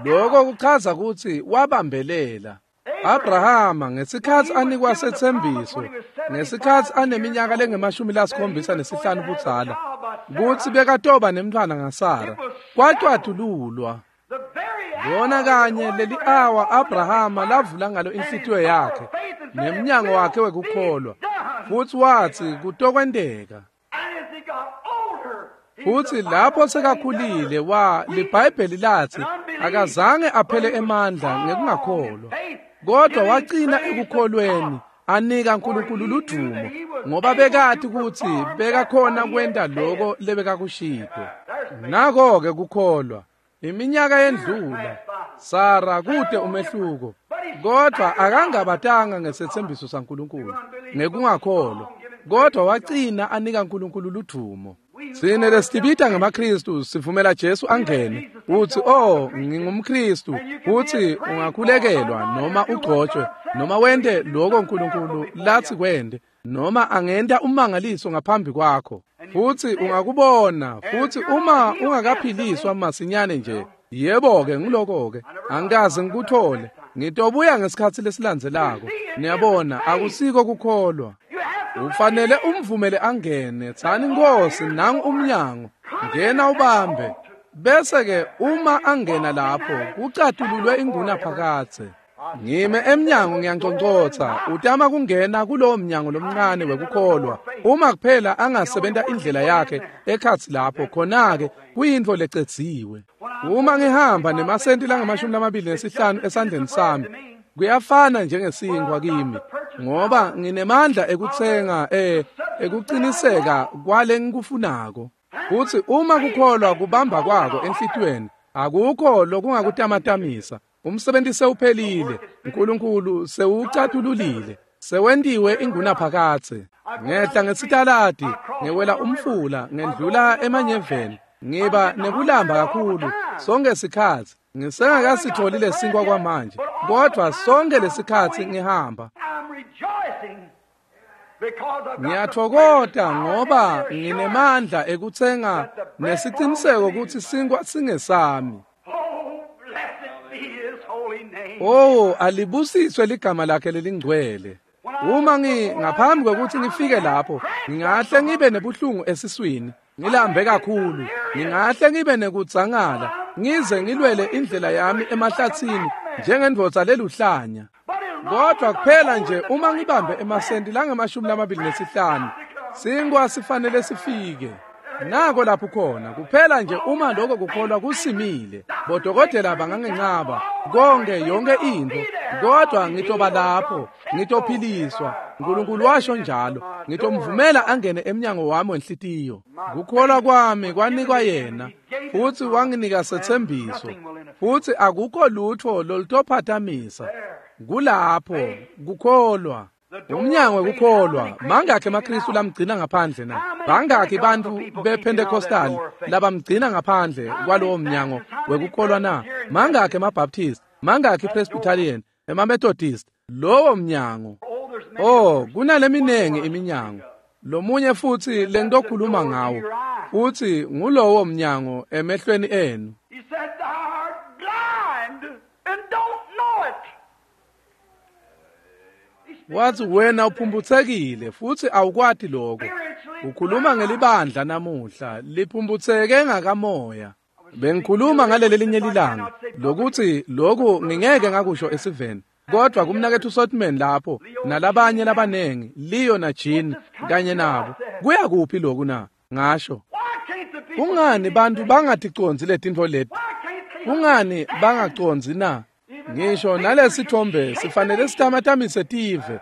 Lokho kuchaza kutsi wabambelela. Abrahama ngesikhatsi anikwa setsembiso, ngesikhatsi aneminyaka lengemashumi lasikhombisa nesihlanu budzala, kutsi bekatoba nemntfwana ngaSara, kwacwatululwa. Lona kanye leli awa Abrahama lavula ngalo inhlitiyo yakhe nemnyango wakhe wekukholwa, futhi watsi kutokwenteka. Futhi lapho sekakhulile wa liBhayibheli latsi akazange aphele emandla ngekungakholwa, Kodwa wagcina ekukholweni anika uNkulunkulu ludumo ngoba bekati ukuthi bekakhona kwenta lokho lebekakushito. Nako ke kukholwa. Iminyaka yendlula Sara kude umehluko, kodwa akangabatanga ngesethembiso saNkulunkulu ngekungakholwa, kodwa wagcina anika uNkulunkulu ludumo. Sine lesibita ngamaKristu sivumela Jesu angene uthi oh ngingumKristu, uthi ungakhulekelwa noma ugcotshwe noma wente lokho uNkulunkulu lathi kwende noma angenta umangaliso ngaphambi kwakho, futhi ungakubona. Futhi uma ungakaphiliswa masinyane nje, yebo ke ngiloko ke angikaze ngikuthole, ngitobuya ngesikhathi lesilandzelako. Niyabona, akusiko kukholwa. Ufanele umvumele angene. Tsani Nkosi, nangu umnyango, ngena ubambe. Bese ke uma angena lapho kucatululwe inguna phakathe. Ngime emnyango ngiyanconcotha, utama kungena kulowo mnyango lomncane wekukholwa. Uma kuphela angasebenta indlela yakhe ekhatsi lapho, khona-ke kuyintfo lecedziwe. Uma ngihamba nemasenti langamashumi lamabili nesihlanu esandleni sami, kuyafana njengesinkwa kimi, ngoba nginemandla ekutsenga eh ekuqiniseka kwale ngikufunako. Futhi uma kukholwa kubamba kwako enhlitiyweni, akukho lokungakutamatamisa. Umsebenzi sewuphelile, uNkulunkulu sewucatululile, sewentiwe ingunaphakadze. Ngehla ngesitaladi, ngewela umfula, ngendlula emanyeveni, ngiba nekulamba kakhulu sonke sikhathi. Ngisengakasitholi lesinkwa kwamanje, kodwa sonke lesikhathi ngihamba ngiyathokoda ngoba nginemandla ekutsenga nesiciniseko ukuthi sinkwa singesami. Oh, alibusiswe ligama lakhe lelingcwele. Uma ngi ngaphambi kokuthi ngifike lapho, ngingahle ngibe nebuhlungu esiswini, ngilambe kakhulu, ngingahle ngibe nekudzangala, ngize ngilwele indlela yami emahlathini njengendvodza leluhlanya. Kodwa kuphela nje uma ngibambe emasenti langamashumi lamabili nesihlanu, sinkwa sifanele sifike. Nako lapho khona kuphela nje uma lokho kukholwa kusimile. Bodokotela bangangencaba konke yonke into, kodwa ngitoba lapho, ngitophiliswa. uNkulunkulu washo njalo, ngitomvumela angene emnyango wami wenhlitiyo. Kukholwa kwami kwanikwa yena, futhi wanginika sethembiso, futhi akukho lutho lolutophathamisa. Kulapho kukholwa. Umnyango wekukholwa. Mangakhi emaKristu lamgcina ngaphandle na? Bangakhi bantu bePentecostal labamgcina ngaphandle kwalowo mnyango wekukholwa na? Mangakhi emaBaptist, mangakhi Presbyterian, emaMethodist? Lowo mnyango. Oh, kunaleminengi iminyango. Lomunye futhi lentokhuluma ngawo, futhi ngulowo mnyango emehlweni enu. He said, "Thou art blind and don't know it." Wathi wena uphumbuthekile futhi awukwati lokho. Ukhuluma ngelibandla namuhla liphumbutheke ngakamoya. Bengikhuluma ngaleli linye lilanga lokuthi lokhu ngingeke ngakusho esiveni, kodwa kumnakethu Sotman lapho nalabanye labanengi, Leo na Jean kanye nabo, kuya kuphi lokhu na? Ngasho, kungani bantu bangaticondzi letintfo leti? Kungani bangacondzi na? Ngisho nalesithombe sifanele sitamatamise tive,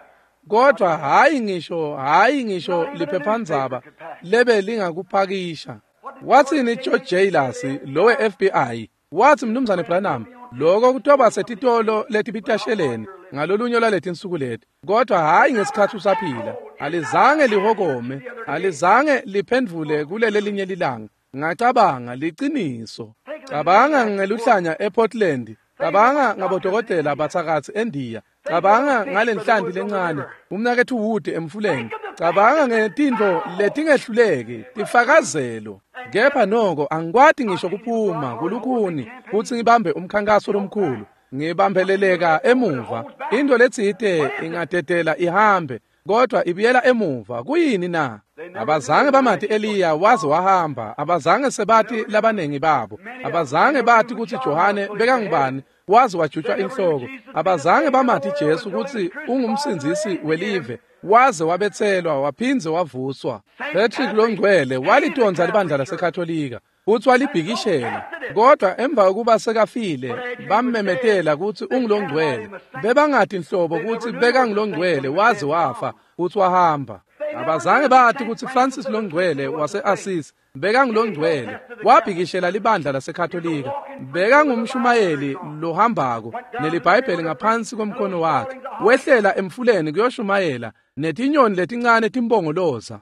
kodwa hayi ngisho hayi ngisho liphephandzaba lebe lingakupakisha. Wathini George Jailers lowe F B I? Wathi mnumzane Branham, lokho kutoba setitolo letibitasheleni ngalolunye lwaletinsuku leti, kodwa hayi ngesikhathi usaphila. Alizange lihokome, alizange liphendvule kulele linye lilanga. Ngacabanga liciniso. Cabanga ngeluhlanya ePortland, cabanga ngabodokotela bathakathi eNdiya, cabanga ngalenhlanti lencane umnakethu Wood emfuleni, cabanga ngetintfo letingehluleki tifakazelo. Kepha noko angikwati ngisho kuphuma kulukhuni kutsi ngibambe umkhankaso lomkhulu, ngibambeleleka emuva. Into letsite ingadedela ihambe, kodwa ibuyela emuva. Kuyini na? Abazange bamati Eliya waze wahamba, abazange sebati labanengi babo, abazange bati kutsi Johane bekangubani waze wajutshwa inhloko, abazange bamati Jesu kutsi ungumsindzisi welive waze wabetselwa waphindze wavuswa. Patrick longcwele walitondza libandla laseKatolika futsi walibhikishela, Kodwa emva kokuba sekafile bammemetela kutsi ungulongcwele. Bebangati nhlobo kutsi bekangulongcwele waze wafa futsi wahamba. Abazange bathi kutsi Francis longcwele wase-Assisi bekangulongcwele, wabhikishela libandla laseKatolika. Bekangumshumayeli lohambako neliBhayibheli ngaphansi komkhono wakhe. Wehlela emfuleni kuyoshumayela netinyoni letincane timbongoloza.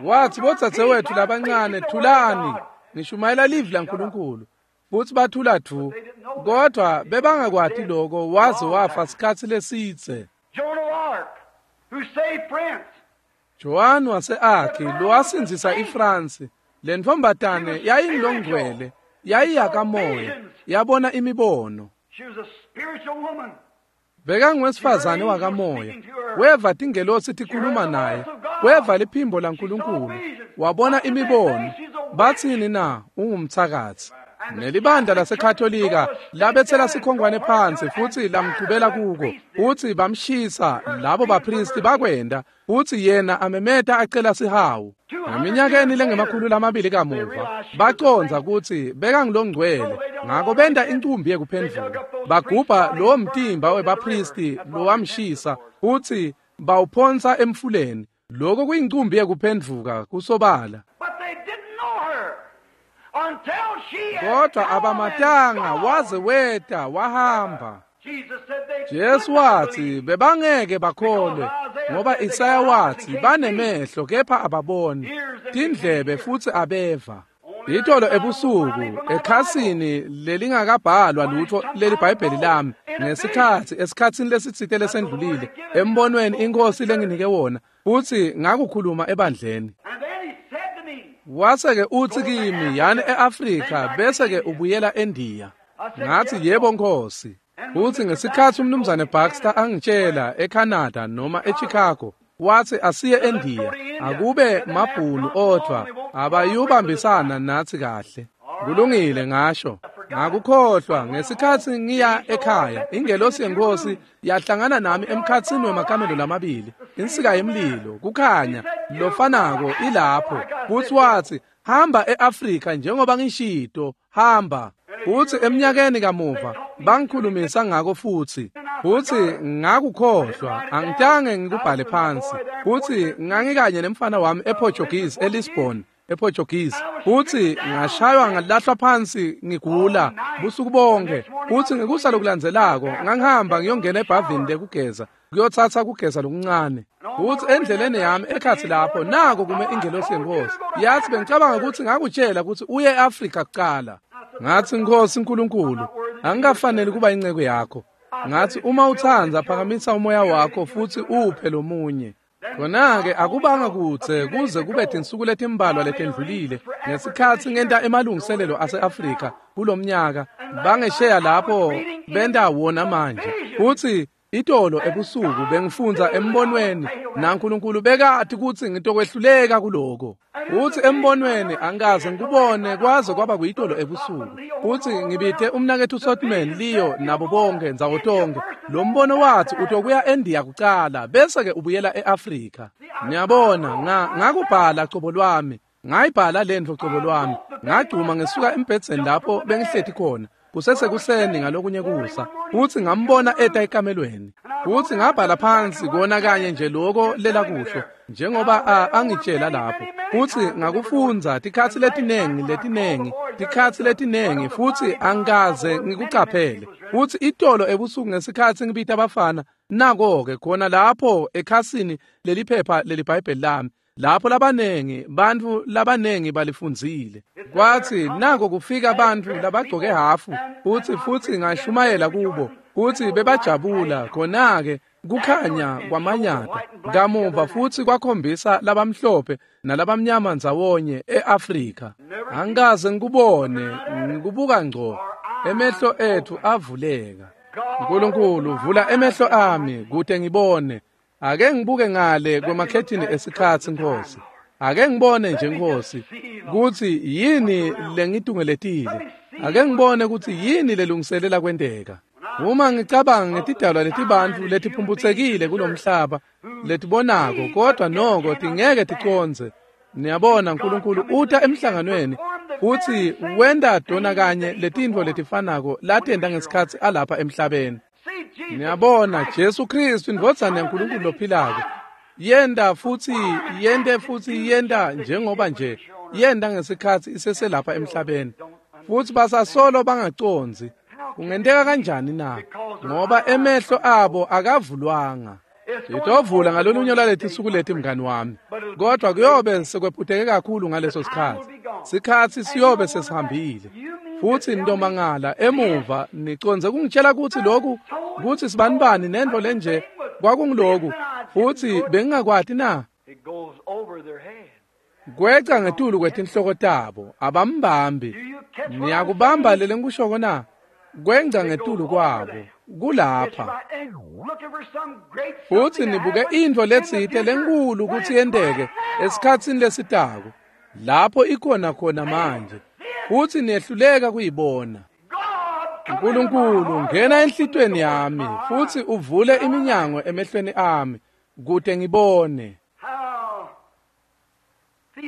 Wathi bodzadzewethu labancane, thulani, ngishumayela livi laNkulunkulu. Futsi bathula dvu, kodwa bebangakwati lokho waze wafa sikhatsi lesidze. Joan wase-Arc lowasindzisa iFrance, le ntfombatane yayingulongcwele, yayiyakamoya, yabona imibono. Bekanguwesifazane wakamoya, weva tingelosi tikhuluma naye, weva liphimbo laNkulunkulu, wabona imibono. Batsini na? Ungumtsakatsi. Nelibandla laseKatolika labetsela sikhongwane phansi futsi lamchubela kuko, futsi bamshisa labo bapristi bakwenda, futsi yena amemeta acela sihawu. Eminyakeni lengemakhulu lamabili kamuva bacondza kutsi bekangulongcwele, ngako benta incumbi yekuphendvuka. Bagubha lowo mtimba webapristi lowamshisa futsi bawuphonsa emfuleni. Lokho kuyincumbi yekuphendvuka kusobala. Kodwa abamatanga waze weta wahamba. Jesu wathi bebangeke bakholwe, ngoba Isaya wathi banemehlo kepha ababoni, tindlebe futsi abeva. Itolo ebusuku ekhasini lelingakabhalwa lutho leliBhayibheli lami, ngesikhatsi esikhatsini lesitsite lesendlulile, embonweni iNkhosi lenginike wona, futsi ngakukhuluma ebandleni. Wase-ke utsi kimi, yani e-Afrika bese-ke ubuyela eNdiya. Ngathi yebo Nkosi. Futsi ngesikhatsi umnumzane Baxter angitshela eCanada noma eChicago, wathi asiye eNdiya, akube mabhunu odwa abayubambisana nathi kahle. Kulungile ngasho. Ngakukhohlwa ngesikhatsi ngiya ekhaya, ingelosi yeNkosi yahlangana nami emkhatsini wemakamelo lamabili, insika yemlilo, kukhanya lofanako ilapho. Futsi wathi hamba e-Afrika njengoba ngishito, hamba. Futsi eminyakeni kamuva bangikhulumisa ngako futsi. Futsi ngakukhohlwa, angitange ngikubhale phansi. Futsi ngangikanye nemfana wami ePortuguese eLisbon, ePortuguese. Futsi ngashaywa ngalahlwa phansi ngigula busuku bonke. Futsi ngekusa lokulandzelako ngangihamba ngiyongena ebhavini lekugeza, kuyotsatsa kugeza lokuncane. Futsi endleleni yami ekhatsi lapho nako kume ingelosi yeNkosi. Yathi bengicabanga ukuthi ngakutshela ukuthi uye e-Afrika kuqala. Ngathi Nkosi Nkulunkulu, angikafanele kuba inceku yakho. Ngathi uma utsandza phakamisa umoya wakho futsi uphe lomunye. Khona-ke akubanga kudze kuze kube tinsuku letimbalwa letendlulile ngesikhatsi ngenta emalungiselelo ase-Afrika kulomnyaka, bangesheya lapho benta wona manje. Futsi itolo ebusuku bengifundza embonweni naNkulunkulu bekati kutsi ngitokwehluleka kuloko. Futsi embonweni angikaze ngikubone kwaze kwaba kuyitolo ebusuku. Futsi ngibite umnaketfu Sotman, Leo nabo bonke ndzawo tonke. Lo mbono wathi utokuya eNdiya kucala bese-ke ubuyela e-Afrika. Niyabona, nga ngakubhala cobo lwami, ngayibhala lentfo cobo lwami, ngagcuma ngesuka embhedzeni lapho bengihleti khona. Kusesekuseni ngalokunye kusa, futsi ngambona eta ekamelweni. Futsi ngabhala phansi kona kanye nje lokho lelakusho, njengoba angitshela lapho. Futsi ngakufundza tikhatsi letinengi letinengi, tikhatsi letinengi, futsi angikaze ngikucaphele. Futsi itolo ebusuku ngesikhatsi ngibita abafana, nako-ke khona lapho ekhasini leliphepha leliBhayibheli lami, lapho labanengi bantfu labanengi balifundzile. Kwathi nako kufika bantfu labagcoke hafu, futsi futsi ngashumayela kubo, futsi bebajabula. Khona-ke kukhanya kwamanyata kamuva futsi kwakhombisa labamhlophe nalabamnyama ndzawonye e-Afrika. Angikaze ngikubone, ngikubuka ngco, emehlo etfu avuleka. Nkulunkulu vula emehlo ami kute ngibone. Ake ngibuke ngale kwemakhethini esikhatsi Nkosi. Ake ngibone nje Nkosi kutsi yini lengitungeletile. Ake ngibone kutsi yini lelungiselela kwenteka. Uma ngicabanga ngetidalwa letibantfu letiphumphutsekile kulomhlaba letibonako kodwa noko tingeke ticondze. Niyabona Nkulunkulu uta emhlanganweni Futsi wenta tona kanye letintfo letifanako latenta ngesikhatsi alapha emhlabeni. Niyabona, Jesu Kristu indvodzana yaNkulunkulu lophilako yenta futsi yente futsi yenta njengoba nje yenta ngesikhatsi iseselapha emhlabeni. Futsi basasolo bangacondzi. Kungenteka kanjani na? Ngoba emehlo abo akavulwanga. Itovula ngalolunye lwaletinsuku leti mngani wami, kodwa kuyobe sekwephuteke kakhulu ngaleso sikhatsi. Sikhatsi siyobe sesihambile. Futsi ntomangala emuva nicondze kungitshela kutsi lokhu kutsi sibanibani nento lenje kwakungiloku futsi bengingakwati na? Kweca ngetulu kwetinhloko tabo abambambi. Niyakubamba lele ngikushoko na? Kwenca ngetulu kwabo kulapha. Futsi nibuke intfo letsite lenkulu kutsi yenteke esikhatsini lesitako lapho ikhona khona manje, futsi niyehluleka kuyibona. Nkulunkulu, ngena enhlitiyweni yami futsi uvule iminyango emehlweni ami kute ngibone.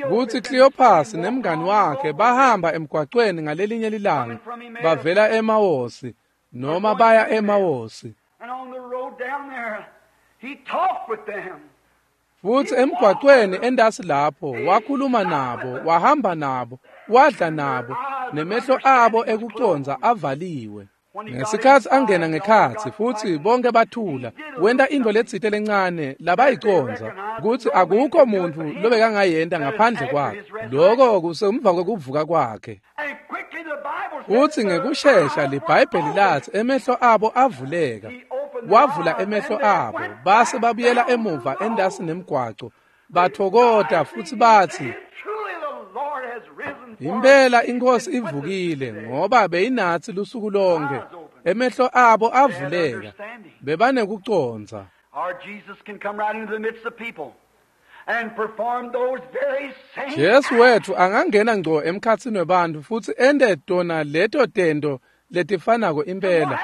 Kutsi Cleopas nemngani wakhe bahamba emgwacweni ngalelinye lilanga bavela eMawosi noma baya eMawosi. Futsi emgwacweni endasi lapho wakhuluma nabo, wahamba nabo, wadla nabo, nemehlo abo ekucondza avaliwe. Ngesikhatsi angena ngekhatsi futsi bonke bathula, wenta intfo letsite lencane labayicondza kutsi akukho muntfu lobekangayenta ngaphandle kwakhe. Loko kusemva kwekuvuka kwakhe. Futsi ngekushesha liBhayibheli latsi emehlo abo avuleka. Wavula emehlo abo base babuyela emuva endasi nemgwaco, bathokota futsi batsi, impela iNkhosi ivukile, ngoba beyinatsi lusuku lonke. Emehlo abo avuleka, bebanekucondza. Jesu wetfu angangena ngco emkhatsini webantfu futsi ente tona leto tento letifanako impela.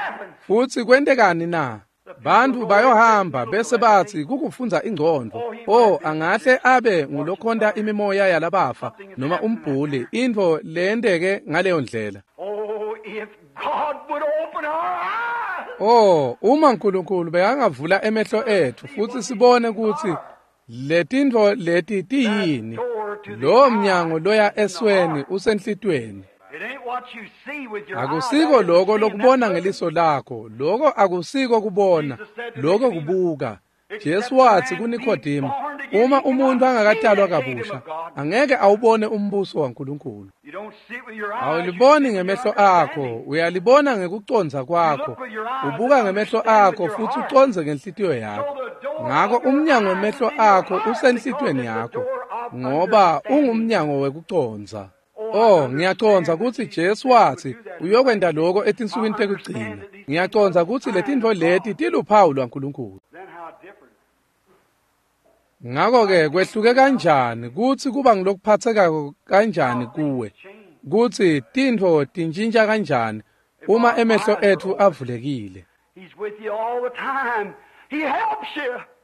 Futsi kwentekani na? Bantfu bayohamba bese batsi kukufundza ingcondvo. Oh, angahle abe ngulokhonta imimoya yalabafa noma umbhuli, intfo leyenteke ngaleyo ndlela. Oh, uma Nkulunkulu bekangavula emehlo etfu futsi sibone kutsi letintfo leti tiyini, lowo mnyango loya esweni usenhlitiyweni. Akusiko loko lokubona ngeliso lakho, loko akusiko kubona, loko kubuka. Jesu watsi kuNikodemu, uma umuntu angakatalwa kabusha, angeke awubone umbuso waNkulunkulu. Awuliboni ngemehlo akho, uyalibona ngekucondza kwakho. Ubuka ngemehlo akho futsi ucondze ngenhlitiyo yakho. Ngako umnyango wemehlo akho usenhlitiyweni yakho, ngoba ungumnyango wekucondza. Oh, ngiyacondza kutsi Jesu watsi uyokwenta lokho etinsukwini tekugcina. Ngiyacondza kutsi letintfo leti tiluphawu lwaNkulunkulu. Ngako-ke kwehluke kanjani kutsi kuba ngilokuphathekako kanjani kuwe, kutsi tintfo tintjintja kanjani uma emehlo etfu avulekile.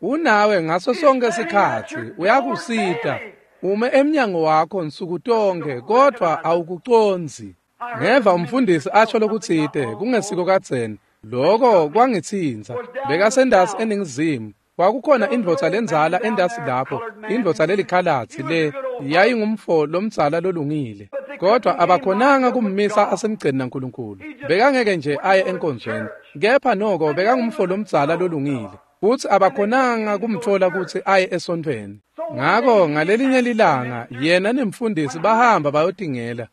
Unawe ngaso sonke sikhatsi, uyakusita. Ume emnyango wakho nsuku tonke, kodvwa awukucondzi. Ngeva umfundisi asho lokutsite kungesiko kadzeni. Loko kwangitsintsa. Bekasendasi eNingizimu. Kwakukhona indvodza lendzala endasi lapho, indvodza lelikhalatsi le yayingumfo lomdzala lolungile. Kodwa abakhonanga kummisa asemgceni naNkulunkulu. Bekangeke nje aye enkonzweni. Kepha noko bekangumfo lomdzala lolungile. Futsi abakhonanga kumtfola kutsi aye esontfweni. Ngako ngalelinye lilanga yena nemfundisi bahamba bayotingela.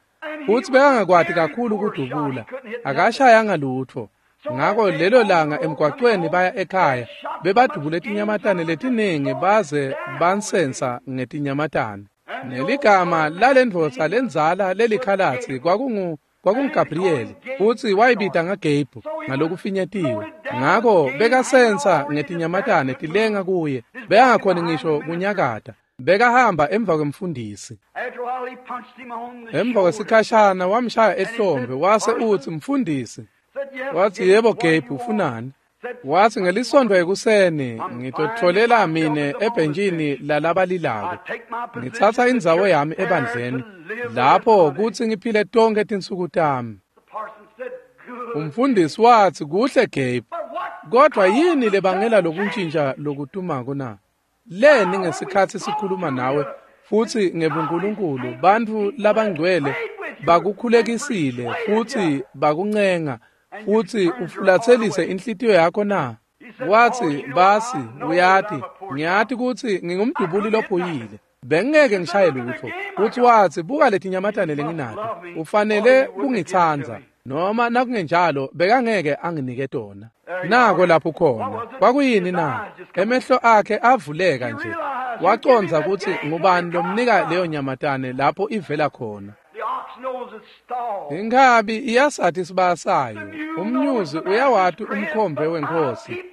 Futsi bekangakwati kakhulu kudubula, akashayanga lutfo. Ngako lelo langa emgwacweni baya ekhaya, bebadubule tinyamatane letiningi baze bansensa ngetinyamatane. Neligama lalendvodza lendzala lelikhalatsi kwakungu kwakunguGabriel, futsi wayibita ngaGabe ngalokufinyetiwe. Ngako bekasensa ngetinyamatane tilenga kuye, bekangakhoni ngisho kunyakata. Bekahamba emva kwemfundisi. Emva kwesikhashana wamshaya ehlombe wase utsi, mfundisi. Watsi, yebo Gabe, ufunani? Wathi ngelisonto ekuseni ngitotfolela mine ebhentshini lalabalilako. Ngitsatsa indzawo yami ebandleni lapho kutsi ngiphile tonkhe tinsuku tami. Umfundisi wathi kuhle Gabe, kodwa yini lebangela lokuntshintsha lokutumako na? Leni ngesikhatsi sikhuluma nawe futsi ngebuNkulunkulu bantfu labangcwele bakukhulekisile futsi bakuncenga futsi ufulatselise inhlitiyo yakho na? Wathi basi uyati ngiyati kutsi ngingumdubuli lophuyile, bengeke ngishaye lutfo. Futhi wathi buka letinyamatane lenginato, ufanele kungitsandza noma nakungenjalo bekangeke anginike tona. Nako lapho khona kwakuyini na? Emehlo akhe avuleka nje, wacondza kutsi ngubani lomnika leyo nyamatane lapho ivela khona. Inkhabi iyasati isibaya sayo, umnyuzi uyawati umkhombe wenkosi,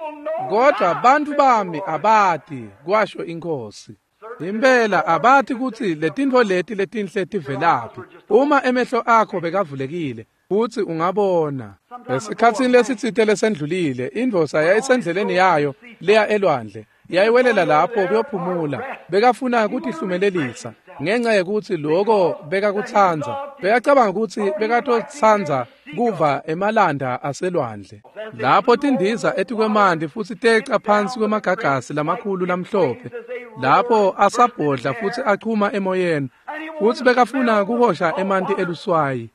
kodwa bantfu bami abati, kwasho inkosi. Impela abati kutsi letintfo leti letinhle tivelaphi. Uma emehlo akho bekavulekile futsi ungabona. Esikhatsini lesitsite lesendlulile, indvodza yayisendleleni yayo leya elwandle, yayiwelela lapho kuyophumula. Bekafuna kutihlumelelisa ngenxa yekutsi loko bekakutsandza. Bekacabanga kutsi bekatotsandza kuva emalanda aselwandle. Lapho tindiza etikwemanti futsi teca phansi kwemagagasi lamakhulu lamhlophe, lapho asabhodla futsi achuma emoyeni, futsi bekafuna kuhosha emanti eluswayi.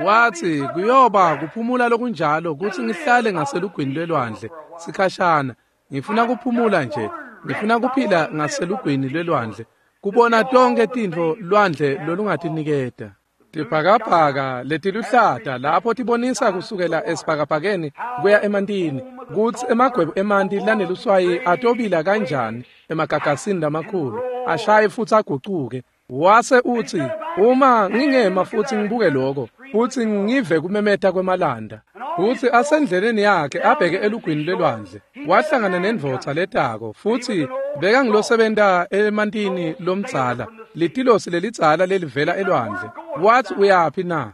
Wathi kuyoba kuphumula lokunjalo kutsi ngihlale ngaselugwini lwelwandle sikhashana. Ngifuna kuphumula nje, ngifuna kuphila ngaselugwini lwelwandle, kubona tonke tintfo lwandle lolungatiniketa. Tibhakabhaka letiluhlata lapho tibonisa kusukela esibhakabhakeni kuya emantini, kutsi emagwebu emanti laneluswayi atobila kanjani emagagasini lamakhulu, ashaye futsi agucuke. Wase uthi uma ngingema futsi ngibuke lokho futsi ngive kumemeta kwemalanda. Futsi asendleleni yakhe abheke elugwini lwelwandle, wahlangana nendvodza letako, futsi bekangilosebenta emantini lomdzala, litilosi lelidzala lelivela elwandle. Wathi uyaphi na?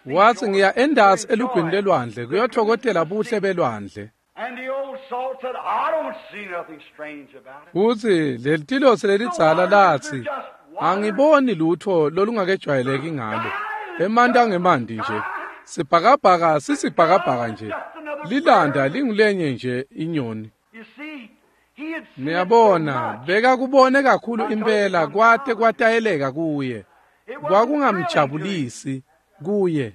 Wathi ngiya endasi elugwini lwelwandle kuyothokotela buhle belwandle. Futsi lelitilosi lelidzala lathi angiboni lutfo lolungakejwayeleki ngalo, emanti angemanti nje, sibhakabhaka sisibhakabhaka nje, lilanda lingulenye nje inyoni. Niyabona, bekakubone kakhulu impela kwate kwatayeleka kuye, kwakungamjabulisi kuye.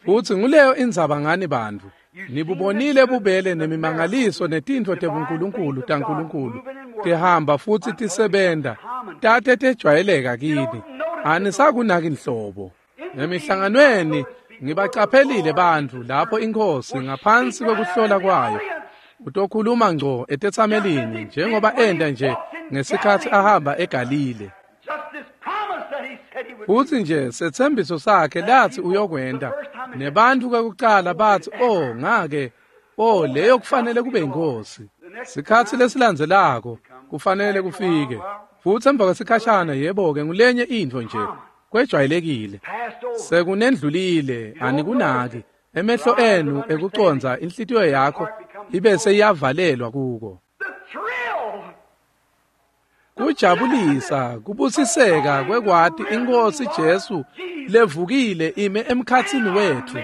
Futsi nguleyo indzaba ngani bantfu. Nibubonile bubele nemimangaliso netintfo tebuNkulunkulu taNkulunkulu tihamba futsi tisebenta, tate tejwayeleka kini, anisakunaki nhlobo. Emihlanganweni ngibacaphelile bantfu lapho inkosi ngaphansi kwekuhlola kwayo utokhuluma ngco etetsamelini njengoba enda nje ngesikhatsi ahamba eGalile. Futsi nje setsembiso sakhe lathi uyokwenta, nebantfu kwekucala bathi oh ngake, oh leyo kufanele kube inkosi. Sikhatsi lesilandzelako kufanele kufike, futsi emva kwesikhashana yebo-ke ngulenye intfo nje kwejwayelekile, sekunendlulile, anikunaki. Emehlo enu ekucondza inhlitiyo yakho ibe seyavalelwa kuko. Kujabulisa kubusiseka kwekwati inkosi Jesu levukile ime emkhatsini wetfu.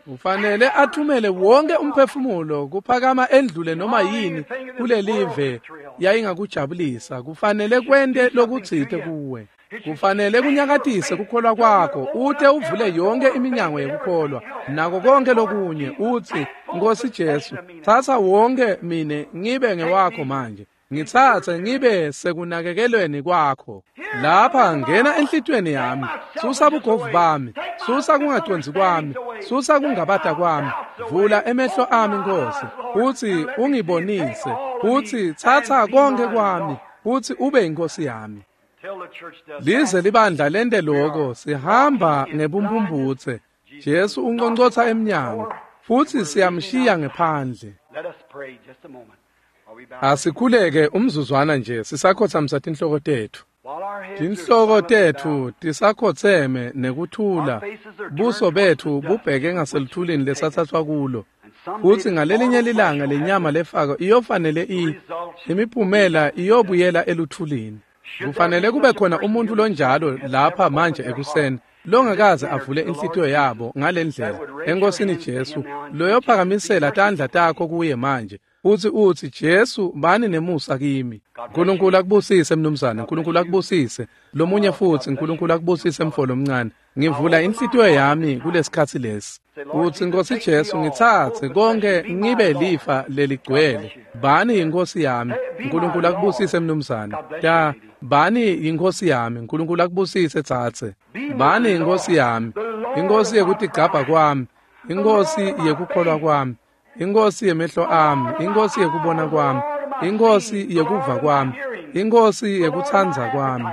Ufanele athumele wonke umphefumulo kuphakama endlule noma yini kulelive yayingakujabulisa. Kufanele kwente lokutsite kuwe, kufanele kunyakatise kukholwa kwakho, ute uvule yonke iminyango yekukholwa nako konke lokunye, utsi Nkosi Jesu, tsatsa wonke mine ngibe ngewakho manje, ngitsatse ngibe sekunakekelweni kwakho. Lapha ngena enhlitiyweni yami, susa bugovu bami, susa kungacondzi kwami, susa kungabata kwami, vula emehlo ami Nkosi, utsi ungibonise, utsi tsatsa konke kwami, utsi ube inkosi yami. Lize libandla lente loko, sihamba ngebumphumputse. Jesu unqonqotha emnyango futsi siyamshiya ngephandle. Asikhuleke umzuzwana nje sisakhotsamisa tinhloko tetfu. Tinhloko tetfu tisakhotseme nekuthula, buso betfu bubheke ngaseluthulini lesatsatswa kulo. Futsi ngalelinye lilanga lenyama lefako iyofanele i imiphumela iyobuyela eluthulini. Kufanele kube khona umuntu lonjalo lapha manje ekuseni longakaze avule inhlitiyo yabo ngalendlela enkosini Jesu, loyophakamisela tandla takho kuye manje uthi uthi Jesu bani nemusa kimi. uNkulunkulu akubusise mnumzane, uNkulunkulu akubusise. Lomunye futhi, uNkulunkulu akubusise mfolo omncane. Ngivula inhlitiyo yami kulesikhatsi lesi. Uthi Nkosi Jesu ngitsatse konke ngibe lifa leligcwele. Bani inkosi yami. uNkulunkulu akubusise mnumzane. Da bani inkosi yami. uNkulunkulu akubusise tsatse. Bani inkosi yami. Inkosi yekutigcabha kwami. Inkosi yekukholwa kwami. Inkosi yemehlo ami, inkosi yekubona kwami, inkosi yekuva kwami, inkosi yekutsandza kwami.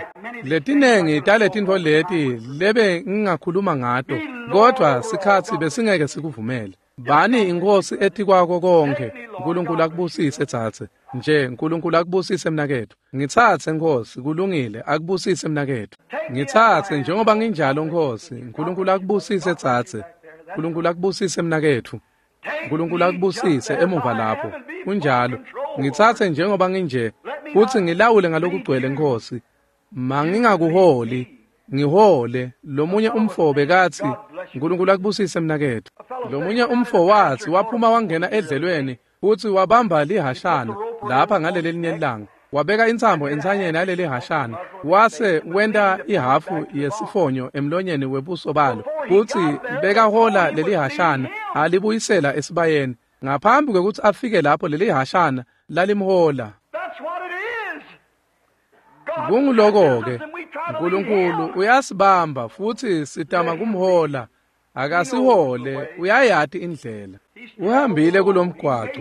Letinengi taletintfo leti lebe ngingakhuluma ngato, kodwa sikhatsi besingeke sikuvumele. Bani inkosi etikwako konke. uNkulunkulu akubusise tsatse. Nje uNkulunkulu akubusise mnaketfu. Ngitsatse Nkosi, kulungile, akubusise mnaketfu. Ngitsatse njengoba nginjalo Nkosi. uNkulunkulu akubusise tsatse. uNkulunkulu akubusise mnaketfu. uNkulunkulu akubusise emuva lapho. Kunjalo. Ngitsatse njengoba nginje futhi ngilawule ngalokugcwele Nkosi. Mangingakuholi, ngihole. Lomunye umfo bekathi uNkulunkulu akubusise mnaketfu. Lomunye umfo wathi waphuma wangena edlelweni futhi wabamba lihashana lapha ngaleli linye ilanga. Wabeka intsambo entsanyeni yaleli hashana wase wenta ihafu yesifonyo emlonyeni webuso balo futhi bekahola leli hashana alibuyisela esibayeni. Ngaphambi kwekutsi afike lapho leli hashana lalimhola. Kunguloko-ke uNkulunkulu uyasibamba futhi sitama kumhola. Akasihole, uyayati indlela. Uhambile kulomgwaco,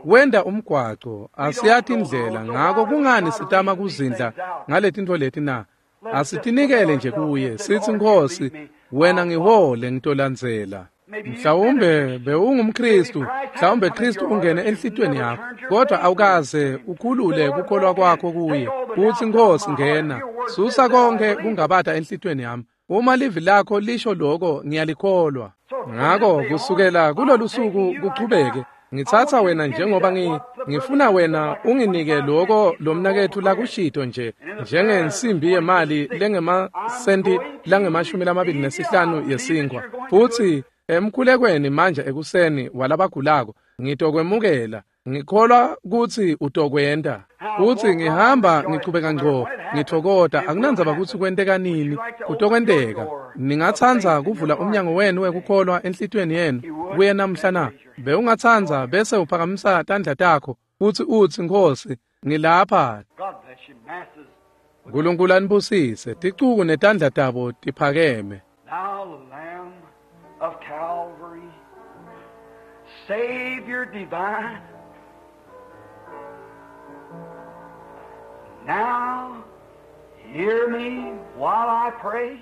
wenda umgwaco, asiyati indlela. Ngako kungani sitama kuzindla ngaletintfo leti na? Asitinikele nje kuye sithi Nkosi wena ngihole ngitolandzela. Mhlawumbe bewungumKristu, mhlawumbe Kristu ungene enhlitiyweni yakho, kodwa awukaze ukhulule kukholwa kwakho kuye. Uthi Nkosi ngena, susa konke kungabata enhlitiyweni yami. Uma livi lakho lisho lokho ngiyalikholwa. Ngako kusukela kulolu suku kuchubeke, ngitsatsa wena njengoba ngi ngifuna wena unginike lokho lomnaketfu lakushito nje njengensimbi yemali lengemasenti langemashumi lamabili nesihlanu yesinkwa. Futhi emkhulekweni manje ekuseni walabagulako ngitokwemukela. Ngikholwa kutsi utokwenta. Uthi ngihamba ngichubeka ngco ngithokota, akunandzaba kutsi kwenteka nini, kutokwenteka. Ningatsandza kuvula umnyango wenu wekukholwa enhlitiyweni yenu kuye namhla na? Bewungatsandza bese uphakamisa tandla takho futsi utsi Nkosi ngilapha. uNkulunkulu anibusise. Ticuku netandla tabo tiphakeme. Of Calvary, Savior divine, now hear me while I pray,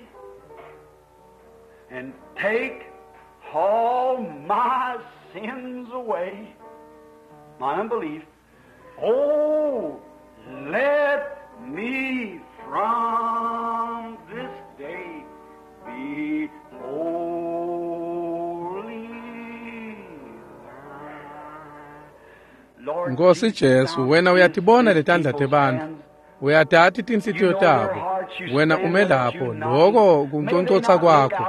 and take all my sins away, my unbelief. Oh, let me from this day be holy. Nkosi Jesu, wena uyatibona letandla tebantfu, uyatati tinhlitiyo tabo. Wena ume lapho, loko kunconcotsa kwakho.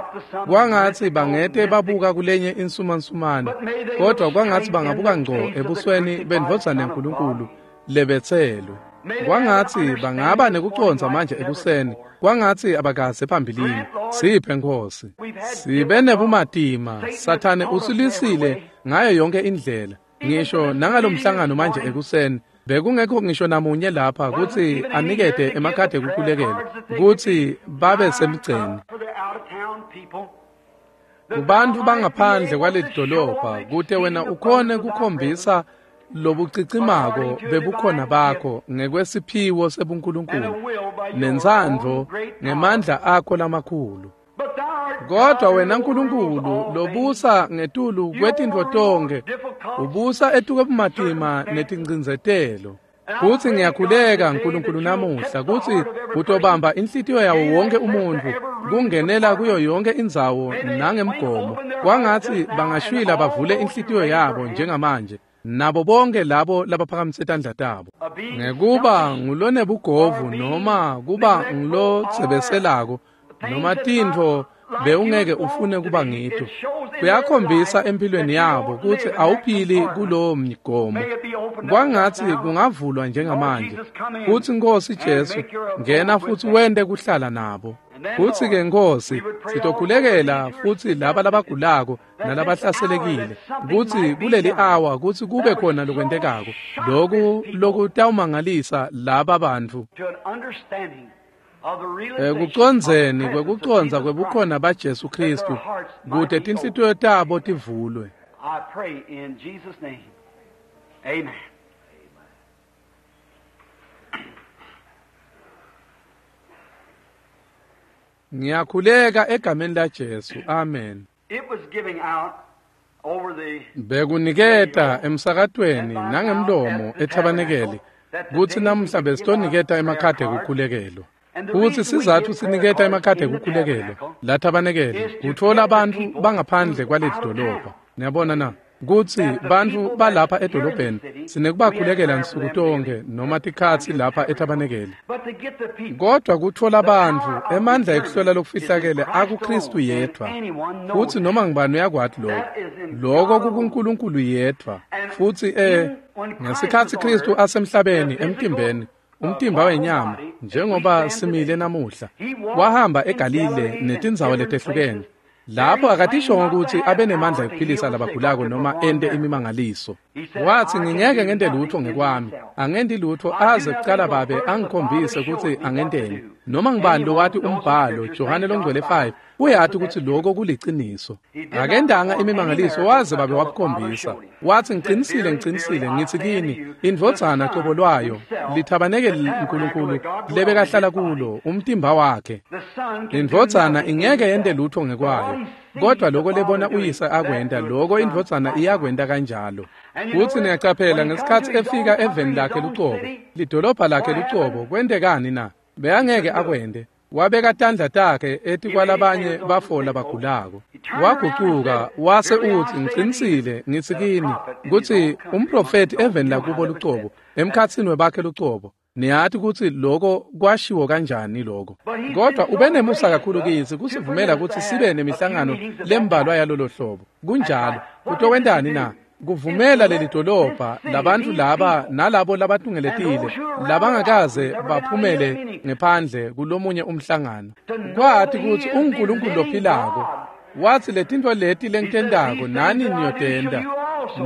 Kwangatsi bangete babuka kulenye insumansumane, kodwa kwangatsi bangabuka ngco ebusweni bendvodzana yaNkulunkulu lebetselwe. Kwangatsi bangaba nekucondza manje ekuseni, kwangatsi abakaze phambilini. Siphe Nkosi. Sibe nebumatima, Sathane usilisile ngayo yonke indlela. Ngisho nangalomhlangano manje ekuseni bekungekho ngisho namunye lapha kutsi anikete emakhadi ekukhulekela kutsi babe semgceni. Kubantfu bangaphandle kwaleli dolobha kute wena ukhone kukhombisa lobucicimako bebukhona bakho ngekwesiphiwo sebuNkulunkulu nentsandvo ngemandla akho lamakhulu. Kodwa wena Nkulunkulu lobusa ngetulu kwetintfo tonkhe, ubusa etukwe bumatima netincindzetelo. Kutsi ngiyakhuleka Nkulunkulu namuhla kutsi utobamba inhlitiyo yawo wonke umuntfu kungenela kuyo yonke indzawo nangemgomo. Kwangatsi bangashwila bavule inhlitiyo yabo njengamanje nabo bonke labo labaphakamise tandla tabo. Ngekuba ngulonebugovu noma kuba ngulotsebeselako noma tintfo bewungeke ufune kuba ngito, kuyakhombisa empilweni yabo kutsi awuphili kulowo mgomo. Kwangatsi kungavulwa njengamanje kutsi Nkosi Jesu ngena futsi wente kuhlala nabo. Kutsi-ke Nkosi sitokhulekela futsi laba labagulako nalabahlaselekile kutsi kuleli awa kutsi kube khona lokwentekako loku lokutawumangalisa laba bantfu ekucondzeni kwekucondza kwebukhona baJesu Kristu kute tinhlitiyo tabo tivulwe. I pray in Jesus' name. Amen. Ngiyakhuleka egameni laJesu. Amen. It was giving out over the Bekuniketa emsakatweni nangemlomo ethabanekeli kutsi namuhla besitoniketa emakhadi ekukhulekelwa. Kutsi sizatfu siniketa emakhadi ekukhulekelwa lathabanekeli kutfola bantfu bangaphandle kwaleli dolobha. Niyabona na? Kutsi bantfu balapha edolobheni sinekubakhulekela nsuku tonke noma tikhatsi lapha ethabanekeli. But to get the people, Kodwa kutfola bantfu emandla ekuhlola lokufihlakele akuKristu yedvwa. Futsi noma ngubani uyakwati lokho. Lokho kukuNkulunkulu yedvwa. Futsi eh ngesikhatsi Kristu asemhlabeni emtimbeni, umtimba wenyama njengoba simile namuhla, wahamba eGalile netindzawo letehlukene. Lapho akatishongo kutsi abe nemandla ekuphilisa labagulako noma ente imimangaliso. Watsi ngingeke ngente lutho ngekwami, angenti lutho aze kucala babe angikhombise kutsi angenteni. Noma ngubani lowati umbhalo Johane longcwele five uyati kutsi lokho kuliciniso. Akendanga imimangaliso waze babe wabukhombisa. Watsi ngicinisile ngicinisile ngitsi kini indvodzana cobo lwayo lithabanekeli Nkulunkulu lebekahlala kulo umtimba wakhe. the Son can do Indvodzana nothing ingeke yente himself. lutho ngekwayo, kodwa lokho lebona uyise akwenta lokho indvodzana iyakwenta kanjalo. Kutsi niyacaphela ngesikhatsi efika eveni lakhe lucobo, lidolobha lakhe lucobo, kwentekani na? Bekangeke akwente. Wabeka tandla takhe etikwalabanye bafo labagulako. Wagucuka wase utsi ngicinisile ngitsi kini kutsi umprofethi eveni lakubo lucobo, emkhatsini webakhe lucobo. Niyati kutsi lokho kwashiwo kanjani lokho. Kodwa ube nemusa kakhulu kitsi kusivumela kutsi sibe nemihlangano lembalwa yalolo hlobo. Kunjalo. Kutokwentani na? Kuvumela leli dolobha labantu laba nalabo labatungeletile labangakaze baphumele ngephandle kulomunye umhlangano. Kwati kutsi unguNkulunkulu lophilako. Watsi letintfo leti lengitentako nani niyotenta.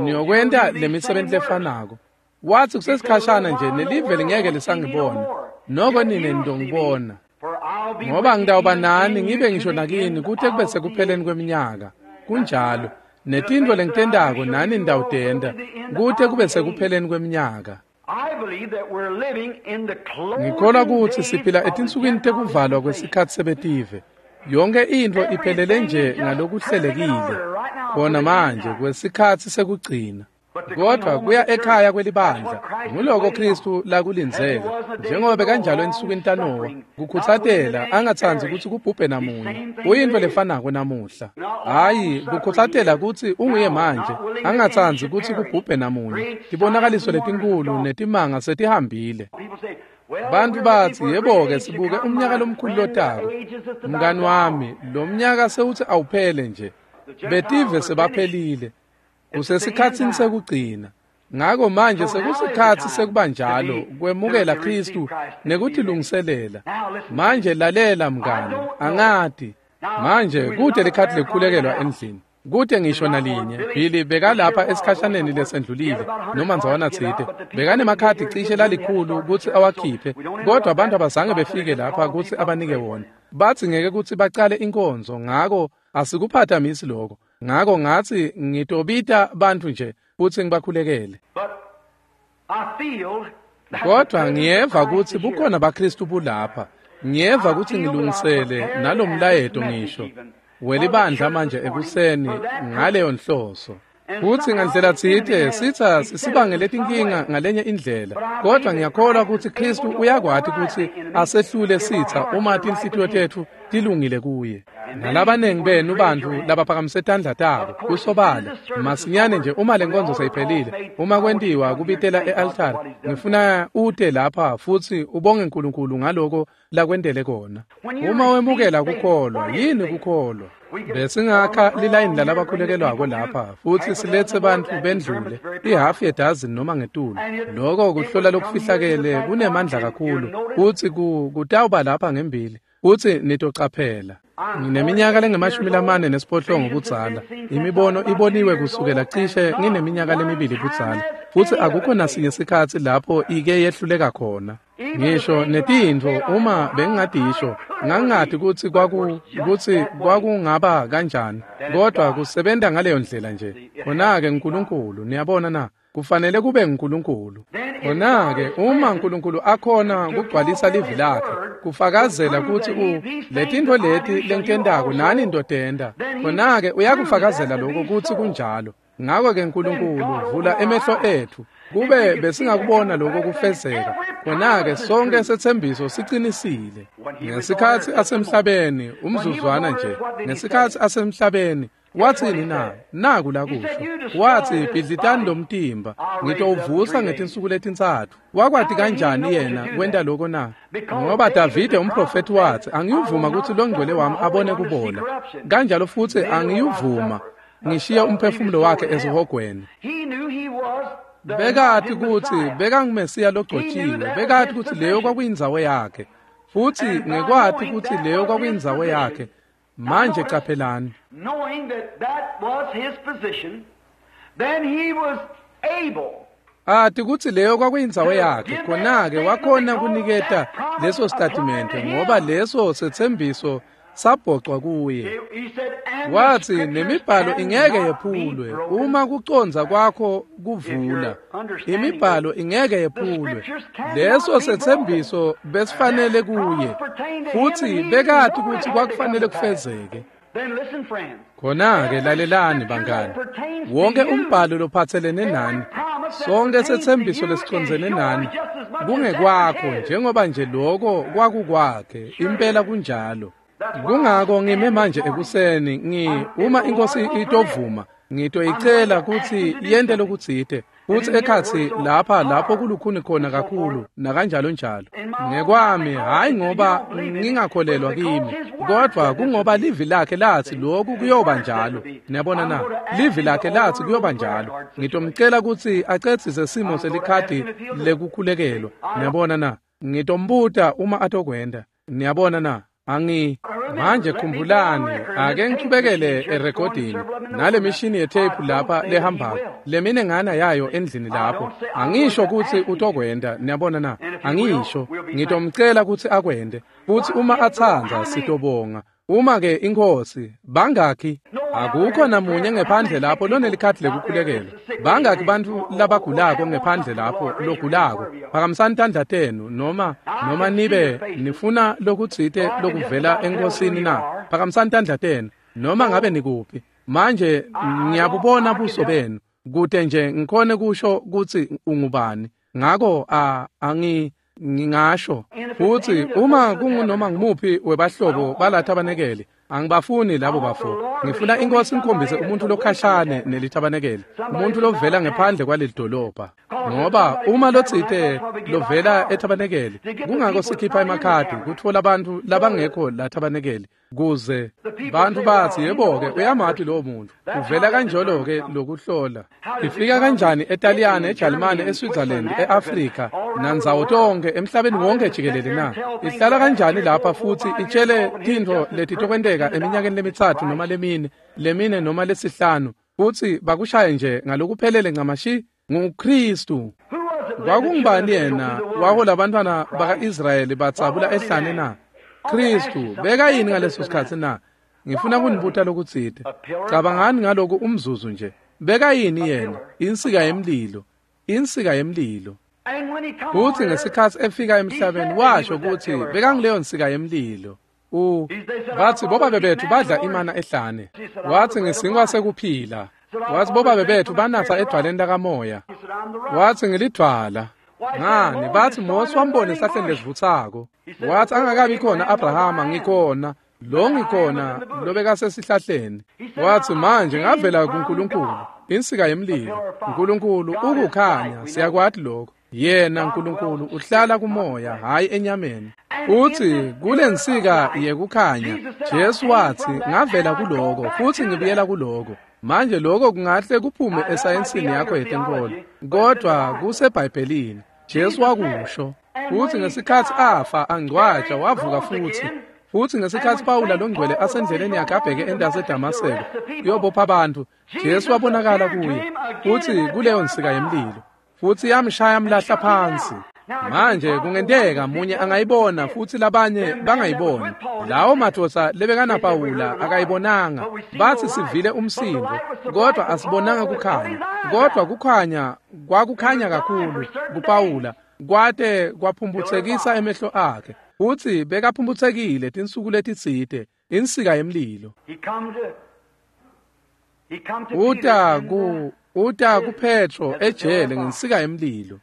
Niyokwenta lemisebenti lefanako. Watsi kusesikhashana nje nelive lingeke lisangibona. Noko nine nitongibona. For I'll be Ngoba with you ngitawuba even nani in ngibe you to ngisho the nakini end kute kube of the sekupheleni age. kweminyaka. Kunjalo. Netintfo lengitentako nani nitawutenta kute kube sekupheleni kweminyaka. I believe that we're living in the Ngikholwa closing kutsi days siphila of the etinsukwini Gentile tekuvalwa dispensation. kwesikhatsi sebetive. Yonke intfo iphelele nje ngalokuhlelekile khona manje kwesikhatsi sekugcina. Kodwa kuya ekhaya kwelibandla nguloko Kristu lakulindzele njengoba bekanjalo ensukwini taNowa kukhutsatela angatsandzi kutsi kubhubhe namunye. Kuyintfo lefanako namuhla. Hhayi kukhutsatela kutsi unguye manje angatsandzi kutsi kubhubhe namunye. Tibonakaliso letinkhulu netimanga setihambile. People say, well, Bantu we're batsi looking for a yebo-ke great age to sibuke come. umnyaka My lomkhulu friend, the lotako. age is just about Mngani gone. wami, lo mnyaka sewutsi awuphele nje. The Gentiles Betive are finished. sebaphelile. It's the end Kusesikhatsini time. sekugcina. Ngako manje So now is the sekusikhatsi time sekuba to njalo be to, kwemukela to receive Kristu Christ and be ready. nekutilungiselela. Now listen to me. Manje lalela I mngani, don't know. angati. Now Manje we're kute not a likhathi prayer card in the lekukhulekelwa house. endlini. Kute ngisho There's not one. nalinye. Billy Billy was here a bekalapha while ago esikhashaneni somewhere. He had lesendlulile about a hundred noma cards ndzawana to give out, tsite. but the people didn't get Bekanemakhadi here to cishe give them. They had to lalikhulu start the kutsi service, so awakhiphe, we don't kodwa interrupt abantu that. abazange So I said, befike just lapha call the kutsi people up and abanike pray for wona. them. Batsi ngeke kutsi bacale inkonzo, ngako asikuphathamisi lokho. Ngako ngatsi ngitobita bantfu nje futsi ngibakhulekele. But I feel that the Kodwa presence of ngiyeva Christ kutsi is here. bukhona baKristu bulapha. Ngiyeva I kutsi feel that I've ngilungisele prepared and this nalomlayeto message ngisho even for the welibandla church manje this morning ekuseni for that ngaleyo purpose. nhloso. Futsi ngandlela tsite sitsa sisibangele tinkinga ngalenye indlela, kodwa ngiyakholwa kutsi Khristu uyakwati kutsi asehlule sitsa uma tinhlitiyo tetfu tilungile kuye. Nalabanengi benu bantfu labaphakamise tandla tabo kusobala masinyane nje uma lenkonzo seyiphelile, uma kwentiwa kubitela e-altari, ngifuna ute lapha futsi ubonge uNkulunkulu ngaloko lakwentele kona. Uma wemukela kukholwa, yini kukholwa? Besingakha lilayini lalabakhulekelwako lapha futsi siletse bantfu bendlule ihafu yedazini noma ngetulu. Loko kuhlola lokufihlakele kunemandla kakhulu futsi kutawuba lapha ngembili futsi nitocaphela. Ngineminyaka lengemashumi lamane nesiphohlongo budzala. Imibono iboniwe kusukela cishe ngineminyaka lemibili budzala, futsi akukho nasinye sikhatsi lapho ike yehluleka khona. Ngisho netintfo uma bengingadisho ngangingati kutsi kwaku kutsi kwakungaba kanjani, kodwa kusebenta ngaleyo ndlela nje. Khona-ke uNkulunkulu, niyabona na? Kufanele kube nguNkulunkulu. Khona-ke uma uNkulunkulu akhona kugcwalisa livi lakhe, kufakazela kutsi u letintfo leti lengitentako nani nitotenta, khona-ke uyakufakazela lokho kutsi kunjalo. Ngako-ke uNkulunkulu vula emehlo etfu kube besingakubona lokho kufezeka. Khona-ke sonke setsembiso sicinisile. Ngesikhatsi asemhlabeni, umzuzwana nje, ngesikhatsi asemhlabeni wathini na? Naku lakusho. Wathi, bhidlitani lo mtimba, ngitowuvusa ngetinsuku letintsatfu. Wakwati kanjani yena kwenta loko na? Ngoba Davide umprofethi wathi, angiyuvuma kutsi longcwele wami abone kubola. Kanjalo futsi angiyuvuma ngishiye umphefumulo wakhe esihogweni. Bekati kutsi bekanguMesiya logcotshiwe, bekati kutsi leyo kwakuyindzawo yakhe. Futsi ngekwati kutsi leyo kwakuyindzawo yakhe, manje caphelani. Knowing that that was his position, then he was able. Ati kutsi leyo kwakuyindzawo yakhe, khona-ke wakhona kuniketa leso statimende ngoba leso setsembiso sabhocwa kuye. Wathi nemibhalo ingeke yephulwe uma kucondza kwakho kuvula. Imibhalo ingeke yephulwe. Leso setsembiso besifanele kuye, futsi bekati kutsi kwakufanele kufezeke. Khona-ke lalelani bangani, wonke umbhalo lophatselene nani, sonke setsembiso lesicondzene nani, kungekwakho njengoba nje loko kwakukwakhe, impela kunjalo. Kungako ngime manje ekuseni ngi uma inkosi itovuma ngitoyicela kutsi yente lokutsite futsi ekhatsi lapha lapho kulukhuni khona kakhulu nakanjalo njalo. Ngekwami hayi ngoba ngingakholelwa kimi, kodwa kungoba livi lakhe lathi lokhu kuyoba njalo. Niyabona na? Livi lakhe lathi kuyoba njalo. Ngitomcela kutsi acedzise simo selikhadi lekukhulekelwa. Niyabona na? Ngitombuta uma atokwenta. Niyabona na? Angi manje khumbulani, ake ngichubekele erekhodini nale mishini yetape lapha lehambako lemine ngana yayo endlini lapho. Angisho kutsi utokwenta, niyabona na? Angisho, ngitomcela kutsi akwente, futsi uma atsandza sitobonga. Uma ke inkosi bangakhi, akukho namunye ngephandle lapho lonelikhadi lekukhulekelwa. Bangakhi bantfu labagulako ngephandle lapho logulako? Phakamisani tandla tenu noma noma nibe nifuna lokutsite lokuvela enkosini na? Phakamisani tandla tenu noma ngabe nikuphi. Manje ngiyabubona buso benu kute nje ngikhone kusho kutsi ungubani. Ngako a angi ngingasho futsi uma kungunoma ngimuphi webahlobo balathabanekele, angibafuni labo bafo. Ngifuna inkosi ingikhombise umuntu lokhashane nelithabanekele, umuntu lovela ngephandle kwaleli dolobha. Ngoba uma lotsite lovela ethabanekele, kungako sikhipha emakhadi kutfola abantu labangekho lathabanekele, kuze bantu bathi yebo-ke uyamati lowo muntu. Uvela kanjalo-ke lokuhlola. Ifika kanjani eTaliyane, eJalimane, eSwitzerland, e-Afrika nandzawo tonke emhlabeni wonke jikelele na? Ihlala kanjani lapha futsi itshele tintfo letitokwenteka eminyakeni lemitsatfu noma lemine, lemine noma lesihlanu, futsi bakushaye nje ngalokuphelele ncamashi? NguKristu. Kwakungubani yena wahola abantwana baka-Israyeli batsabula ehlane na? Kristu. Bekayini ngaleso sikhatsi na? Ngifuna kunibuta lokutsite. Cabangani ngaloku umzuzu nje. Bekayini yena? Insika yemlilo. Insika yemlilo. Futsi ngesikhatsi efika emhlabeni washo kutsi bekangileyo nsika yemlilo. U bathi bobabe bethu badla imana ehlane. Wathi ngesinkwa sekuphila. Watsi bobabe bethu banatsa edvwaleni lakamoya. Watsi ngilidvwala. Ngani batsi Mose wambona esihlahleni lesivutsako. Watsi angakabi khona Abrahama ngikhona, lo ngikhona lobekasesihlahleni. Watsi manje ngavela kuNkulunkulu, insika yemlilo. Nkulunkulu ukukhanya, siyakwati lokho. Yena Nkulunkulu uhlala kumoya, hhayi enyameni. Futsi kulensika yekukhanya, Jesu watsi ngavela kuloko futsi ngibuyela kuloko. Manje lokho kungahle kuphume esayensini yakho yetenkolo, kodwa kuseBhayibhelini. Jesu wakusho. Futsi ngesikhatsi afa angcwatjwa wavuka futsi. Futsi ngesikhatsi Pawula longcwele asendleleni yakhe abheke entasi eDamaseko kuyobopha abantu, Jesu wabonakala kuye futsi kuleyo nsika yemlilo, futsi yamshaya mlahla phansi. Manje kungenteka munye angayibona futsi labanye bangayiboni. Lawo madvodza lebekana Pawula akayibonanga. Batsi sivile umsindo, kodwa asibonanga kukhanya. Kodwa kukhanya kwakukhanya kakhulu kuPawula kwate kwaphumphutsekisa emehlo akhe. Futsi bekaphumphutsekile tinsuku letitsite, insika yemlilo. Uta ku uta kuPetro ejele ngensika yemlilo.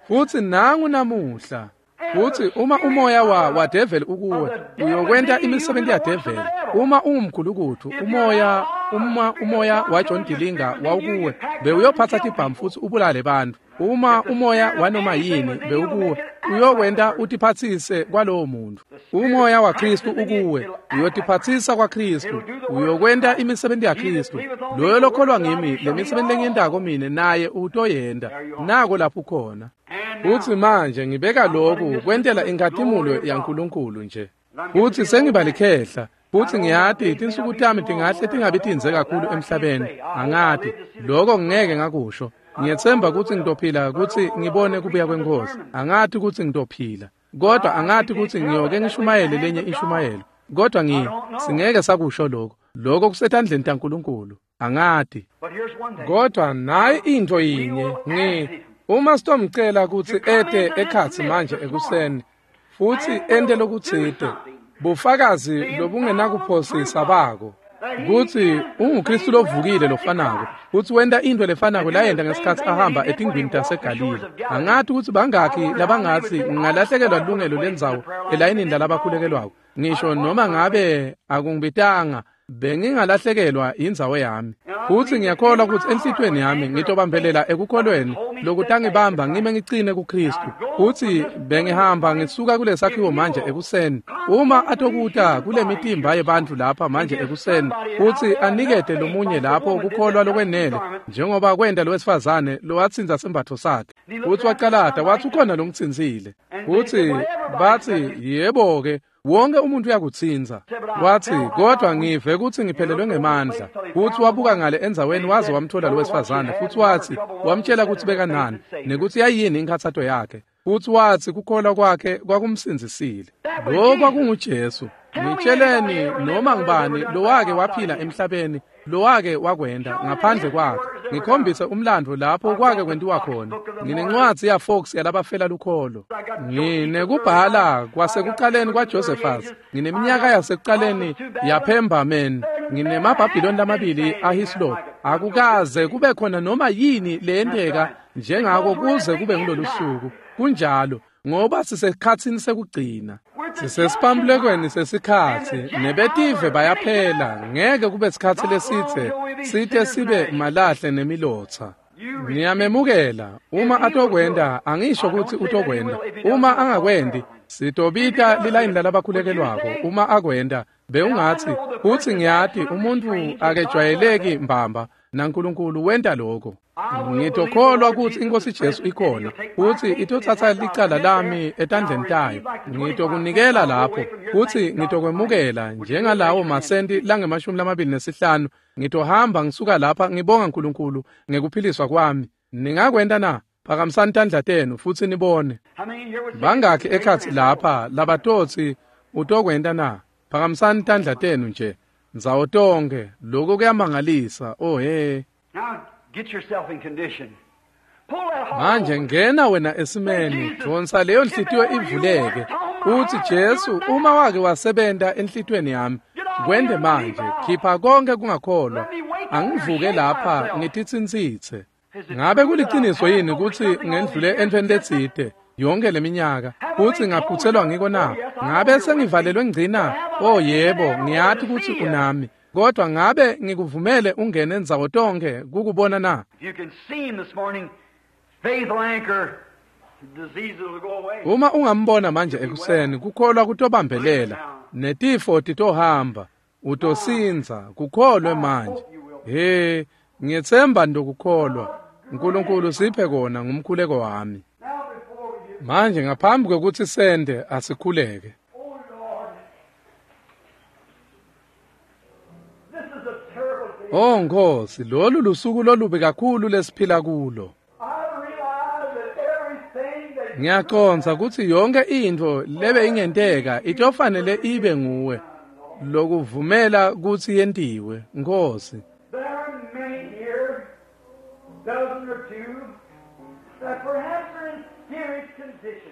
Futsi nangu namuhla. Futsi uma umoya wa wa devil ukuwe, uyokwenta imisebenzi ya devil. Uma ungumkhulukuthu, umoya uma umoya wa John Dillinger wawukuwe, bewuyophatha tibhamu futsi ubulale bantfu. Uma umoya wanoma yini bewukuwe, uyokwenta utiphatsise kwalowo muntu. Umoya wa Kristu ukuwe, uyotiphatsisa kwa Kristu, uyokwenta imisebenzi ya Kristu. Loyo lokholwa ngimi, le misebenzi lengiyentako mine naye utoyenta. Nako lapho khona. Futsi manje ngibeka lokhu kwentela inkhatimulo yaNkulunkulu nje. Futsi sengiba likhehla, futsi ngiyati tinsuku tami tingahle tingabi tindze kakhulu emhlabeni. Angati, lokho ngeke ngakusho. Ngiyetsemba kutsi ngitophila kutsi ngibone kubuya kweNkhosi. Angati kutsi ngitophila, kodwa angati kutsi ngiyoke ngishumayele lenye inshumayelo. Kodwa ngi singeke sakusho lokho. Lokho kusetandleni taNkulunkulu. Angati. Kodwa nayi into yinye ngi uma sitomcela kutsi ete ekhatsi manje ekuseni futsi ente lokutsite, bufakazi lobungenakuphosisa bako kutsi unguKristu lovukile lofanako, futsi wenta into lefanako layenta ngesikhatsi ahamba etingwini taseGalile. Angati kutsi bangakhi labangatsi ngingalahlekelwa lilungelo lendzawo elayinini lalabakhulekelwako, ngisho noma ngabe akungibitanga, bengingalahlekelwa indzawo yami. Futsi ngiyakholwa kutsi enhlitiyweni yami ngitobambelela ekukholweni lokutangibamba ngime ngicine kuKristu. Futsi bengihamba ngisuka kulesakhiwo manje ekuseni. Uma atokuta kule mitimba yebantfu lapha manje ekuseni futsi anikete lomunye lapho kukholwa lokwenele njengoba kwenta lowesifazane lowatsinza sembatfo sakhe. Futsi wacalata watsi ukhona longitsintsile. Futsi batsi yebo-ke, wonke umuntu uyakutsinza. Watsi kodwa ngive kutsi ngiphelelwe ngemandla. Futsi wabuka ngale endzaweni waze wamthola lowesifazane, futsi watsi wamtshela kutsi bekanani nekutsi yayini inkhatsato yakhe. Futsi watsi kukholwa kwakhe kwakumsindzisile. Lo kwakunguJesu. Ngitsheleni noma ngubani lowake waphila emhlabeni lowake wakwenta ngaphandle kwakhe. Ngikhombise umlandvo lapho kwake kwentiwa khona. Nginencwadzi ya Fox yalabafela lukholo. Nginekubhala kwasekuqaleni kwaJosephus. Ngineminyaka yasekuqaleni yaPemberman. NginemaBhabhiloni lamabili aHislop. Akukaze kube khona noma yini leyenteka njengako kuze kube ngilolu suku. Kunjalo ngoba sisekhatsini sekugcina. Sisesipambulekweni sesikhatsi, nebetive bayaphela, ngeke kube sikhatsi lesitse site sibe malahle nemilotsa. Ngiyamemukela, uma atokwenta, angisho kutsi utokwenta. Uma angakwendi, sitobita lilayini lalabakhulekelwako. Uma akwenta, bewungatsi, futsi ngiyati umuntfu akejwayeleki mbamba, naNkulunkulu wenta lokho. Ngitokholwa kutsi iNkhosi Jesu ikhona, futsi itotsatsa licala lami etandleni tayo. Ngitokunikela lapho, futsi ngitokwemukela njengalawo masenti langemashumi lamabili nesihlanu. Ngitohamba ngisuka lapha ngibonga uNkulunkulu ngekuphiliswa kwami. Ningakwenta na? Phakamisani tandla tenu futsi nibone. Bangakhi ekhatsi lapha labatotsi utokwenta na? Phakamisani tandla tenu nje ndzawo tonkhe. Lokho kuyamangalisa. Oh he. Manje ngena wena esimeni, dvonsa leyo nhliziyo ivuleke. Uthi Jesu, uma wake wasebenta enhlitiyweni yami, Kwente manje, khipha konke kungakholwa. Angivuke lapha ngititsintsitse. Ngabe kuliciniso yini kutsi ngendlule entfweni letsite yonke leminyaka kutsi ngaphutselwa ngiko na? Ngabe sengivalelwe ngcina? Oh yebo, ngiyati kutsi unami. Kodwa ngabe ngikuvumele ungene ndzawo tonkhe kukubona na? Uma ungambona manje ekuseni, kukholwa kutobambelela, netifo titohamba, utosindza, kukholwe manje. He, ngiyetsemba ndokukholwa. uNkulunkulu siphe kona ngumkhuleko wami. Manje ngaphambi kwekutsi sende asikhuleke. Oh Nkosi, lolu lusuku lolubi kakhulu lesiphila kulo. Ngiyacondza kutsi yonke intfo lebe ingenteka itofanele ibe nguwe lokuvumela kutsi yentiwe, Nkosi.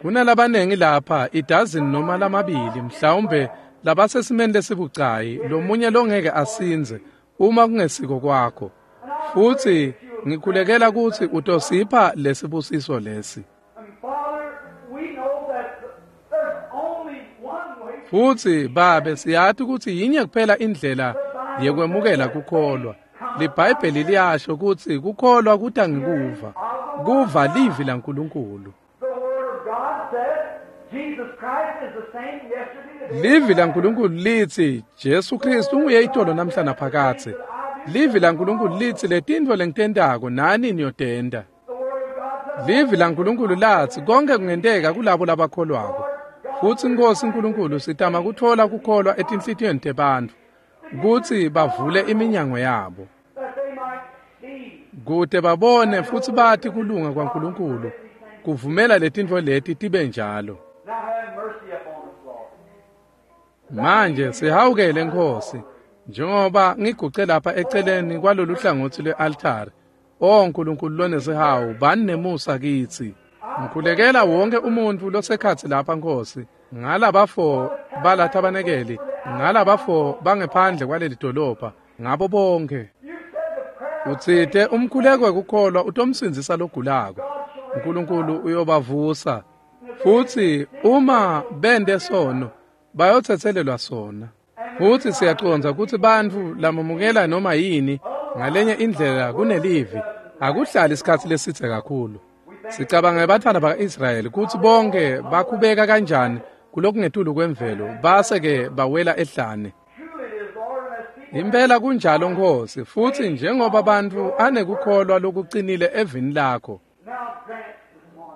Kunalabanengi lapha idazini noma lamabili mhlawumbe labasesimeni lesibucayi, lomunye longeke asindze uma kungesiko kwakho. Futsi ngikhulekela kutsi utosipha lesibusiso lesi. Futsi Babe, siyati kutsi yinye kuphela indlela yekwemukela kukholwa. LiBhayibheli liyasho kutsi kukholwa kuta ngekuva, kuva livi laNkulunkulu. Livi laNkulunkulu litsi Jesu Kristu unguye itolo namhla naphakadze. Livi laNkulunkulu litsi letintfo lengitentako nani niyotenta. Livi laNkulunkulu latsi konke kungenteka kulabo labakholwako. Futsi Nkosi uNkulunkulu, sitama kutfola kukholwa etinhlitiyweni tebantfu kutsi bavule iminyango yabo kute babone futsi bati kulunga kwaNkulunkulu, kuvumela letintfo leti tibe njalo. Manje sihawukele Nkosi, njengoba ngiguce lapha eceleni kwalolu hlangotsi lwe-altari. O Nkulunkulu lonesihawu, bani nemusa kitsi. Ngikhulekela wonke umuntfu losekhatsi lapha Nkosi, ngalabafo balathabanekeli, ngalabafo bangephandle kwaleli dolobha, ngabo bonke. Utsite umkhuleko wekukholwa utomsindzisa logulako. uNkulunkulu uyobavusa, futsi uma bente sono bayotsetselelwa sona. Futsi siyacondza kutsi bantfu lamamukela noma yini ngalenye indlela kunelivi akuhlali isikhatsi lesidze kakhulu. Sicabanga ngebantfwana baka-Israyeli kutsi bonke bakhubeka kanjani kulokungetulu kwemvelo base-ke bawela ehlane. Impela kunjalo Nkosi, futsi njengoba bantfu anekukholwa lokucinile evini lakho.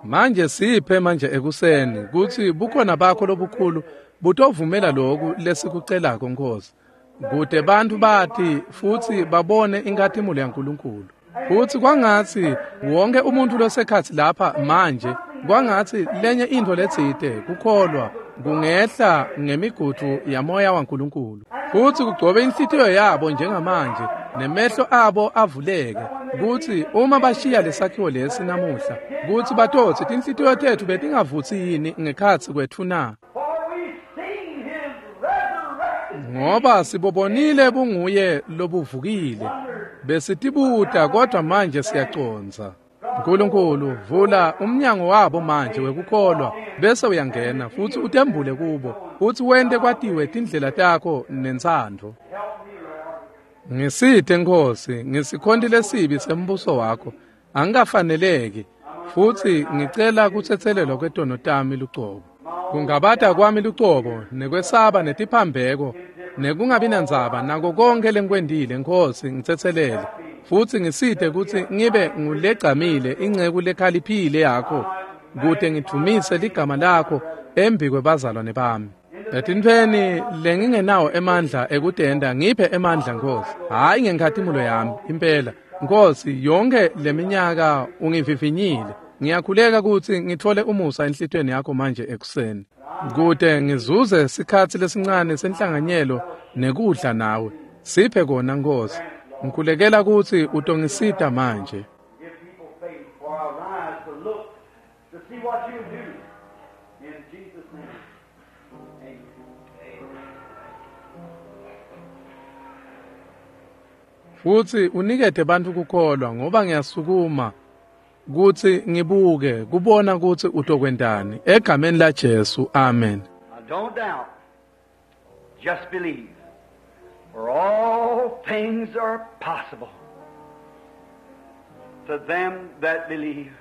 Manje siphe manje ekuseni kutsi bukhona bakho lobukhulu butovumela loku lesikucelako Nkosi, kute bantfu bati futsi babone inkhatimulo yaNkulunkulu. Futsi kwangatsi wonke umuntfu losekhatsi lapha manje, kwangatsi lenye intfo letsite kukholwa kungehla ngemigudu yamoya waNkulunkulu, futsi kugcobe inhlitiyo yabo njengamanje nemehlo abo avuleke, kutsi uma bashiya lesakhiwo lesi namuhla, kutsi batotsi tinhlitiyo tetfu betingavutsi yini ngekhatsi kwetfu na? Ngoba sibobonile bunguye lobuvukile, besitibuta kodwa manje siyacondza. uNkulunkulu, vula umnyango wabo manje wekukholwa, bese uyangena futsi utembule kubo, futsi wente kwatiwe tindlela takho nentsandvo. Ngisite Nkosi, ngisikhonti lesibi sembuso wakho, angikafaneleki, futsi ngicela kutsetselelwa kwetono tami lucobo. Kungabata kwami lucobo, nekwesaba netiphambeko, nekungabi nandzaba nako konke lengikwentile Nkosi, ngitsetselele. Futsi ngisite kutsi ngibe ngulegcamile inceku lekhaliphile yakho, kute ngidvumise ligama lakho embi kwebazalwane bami. Etintfweni lengingenawo emandla ekutenta, ngiphe emandla Nkosi, hhayi ngenkhatimulo yami impela. Nkosi, yonke leminyaka ungivivinyile. Ngiyakhuleka kutsi ngitfole umusa enhlitiyweni yakho manje ekuseni, kute ngizuze sikhatsi lesincane senhlanganyelo nekudla nawe. Siphe kona Nkosi. Ngikhulekela kutsi utongisita manje. Futsi unikete bantfu kukholwa ngoba ngiyasukuma kutsi ngibuke kubona kutsi utokwentani egameni la Jesu. Amen. Don't doubt. Just believe. For all things are possible to them that believe.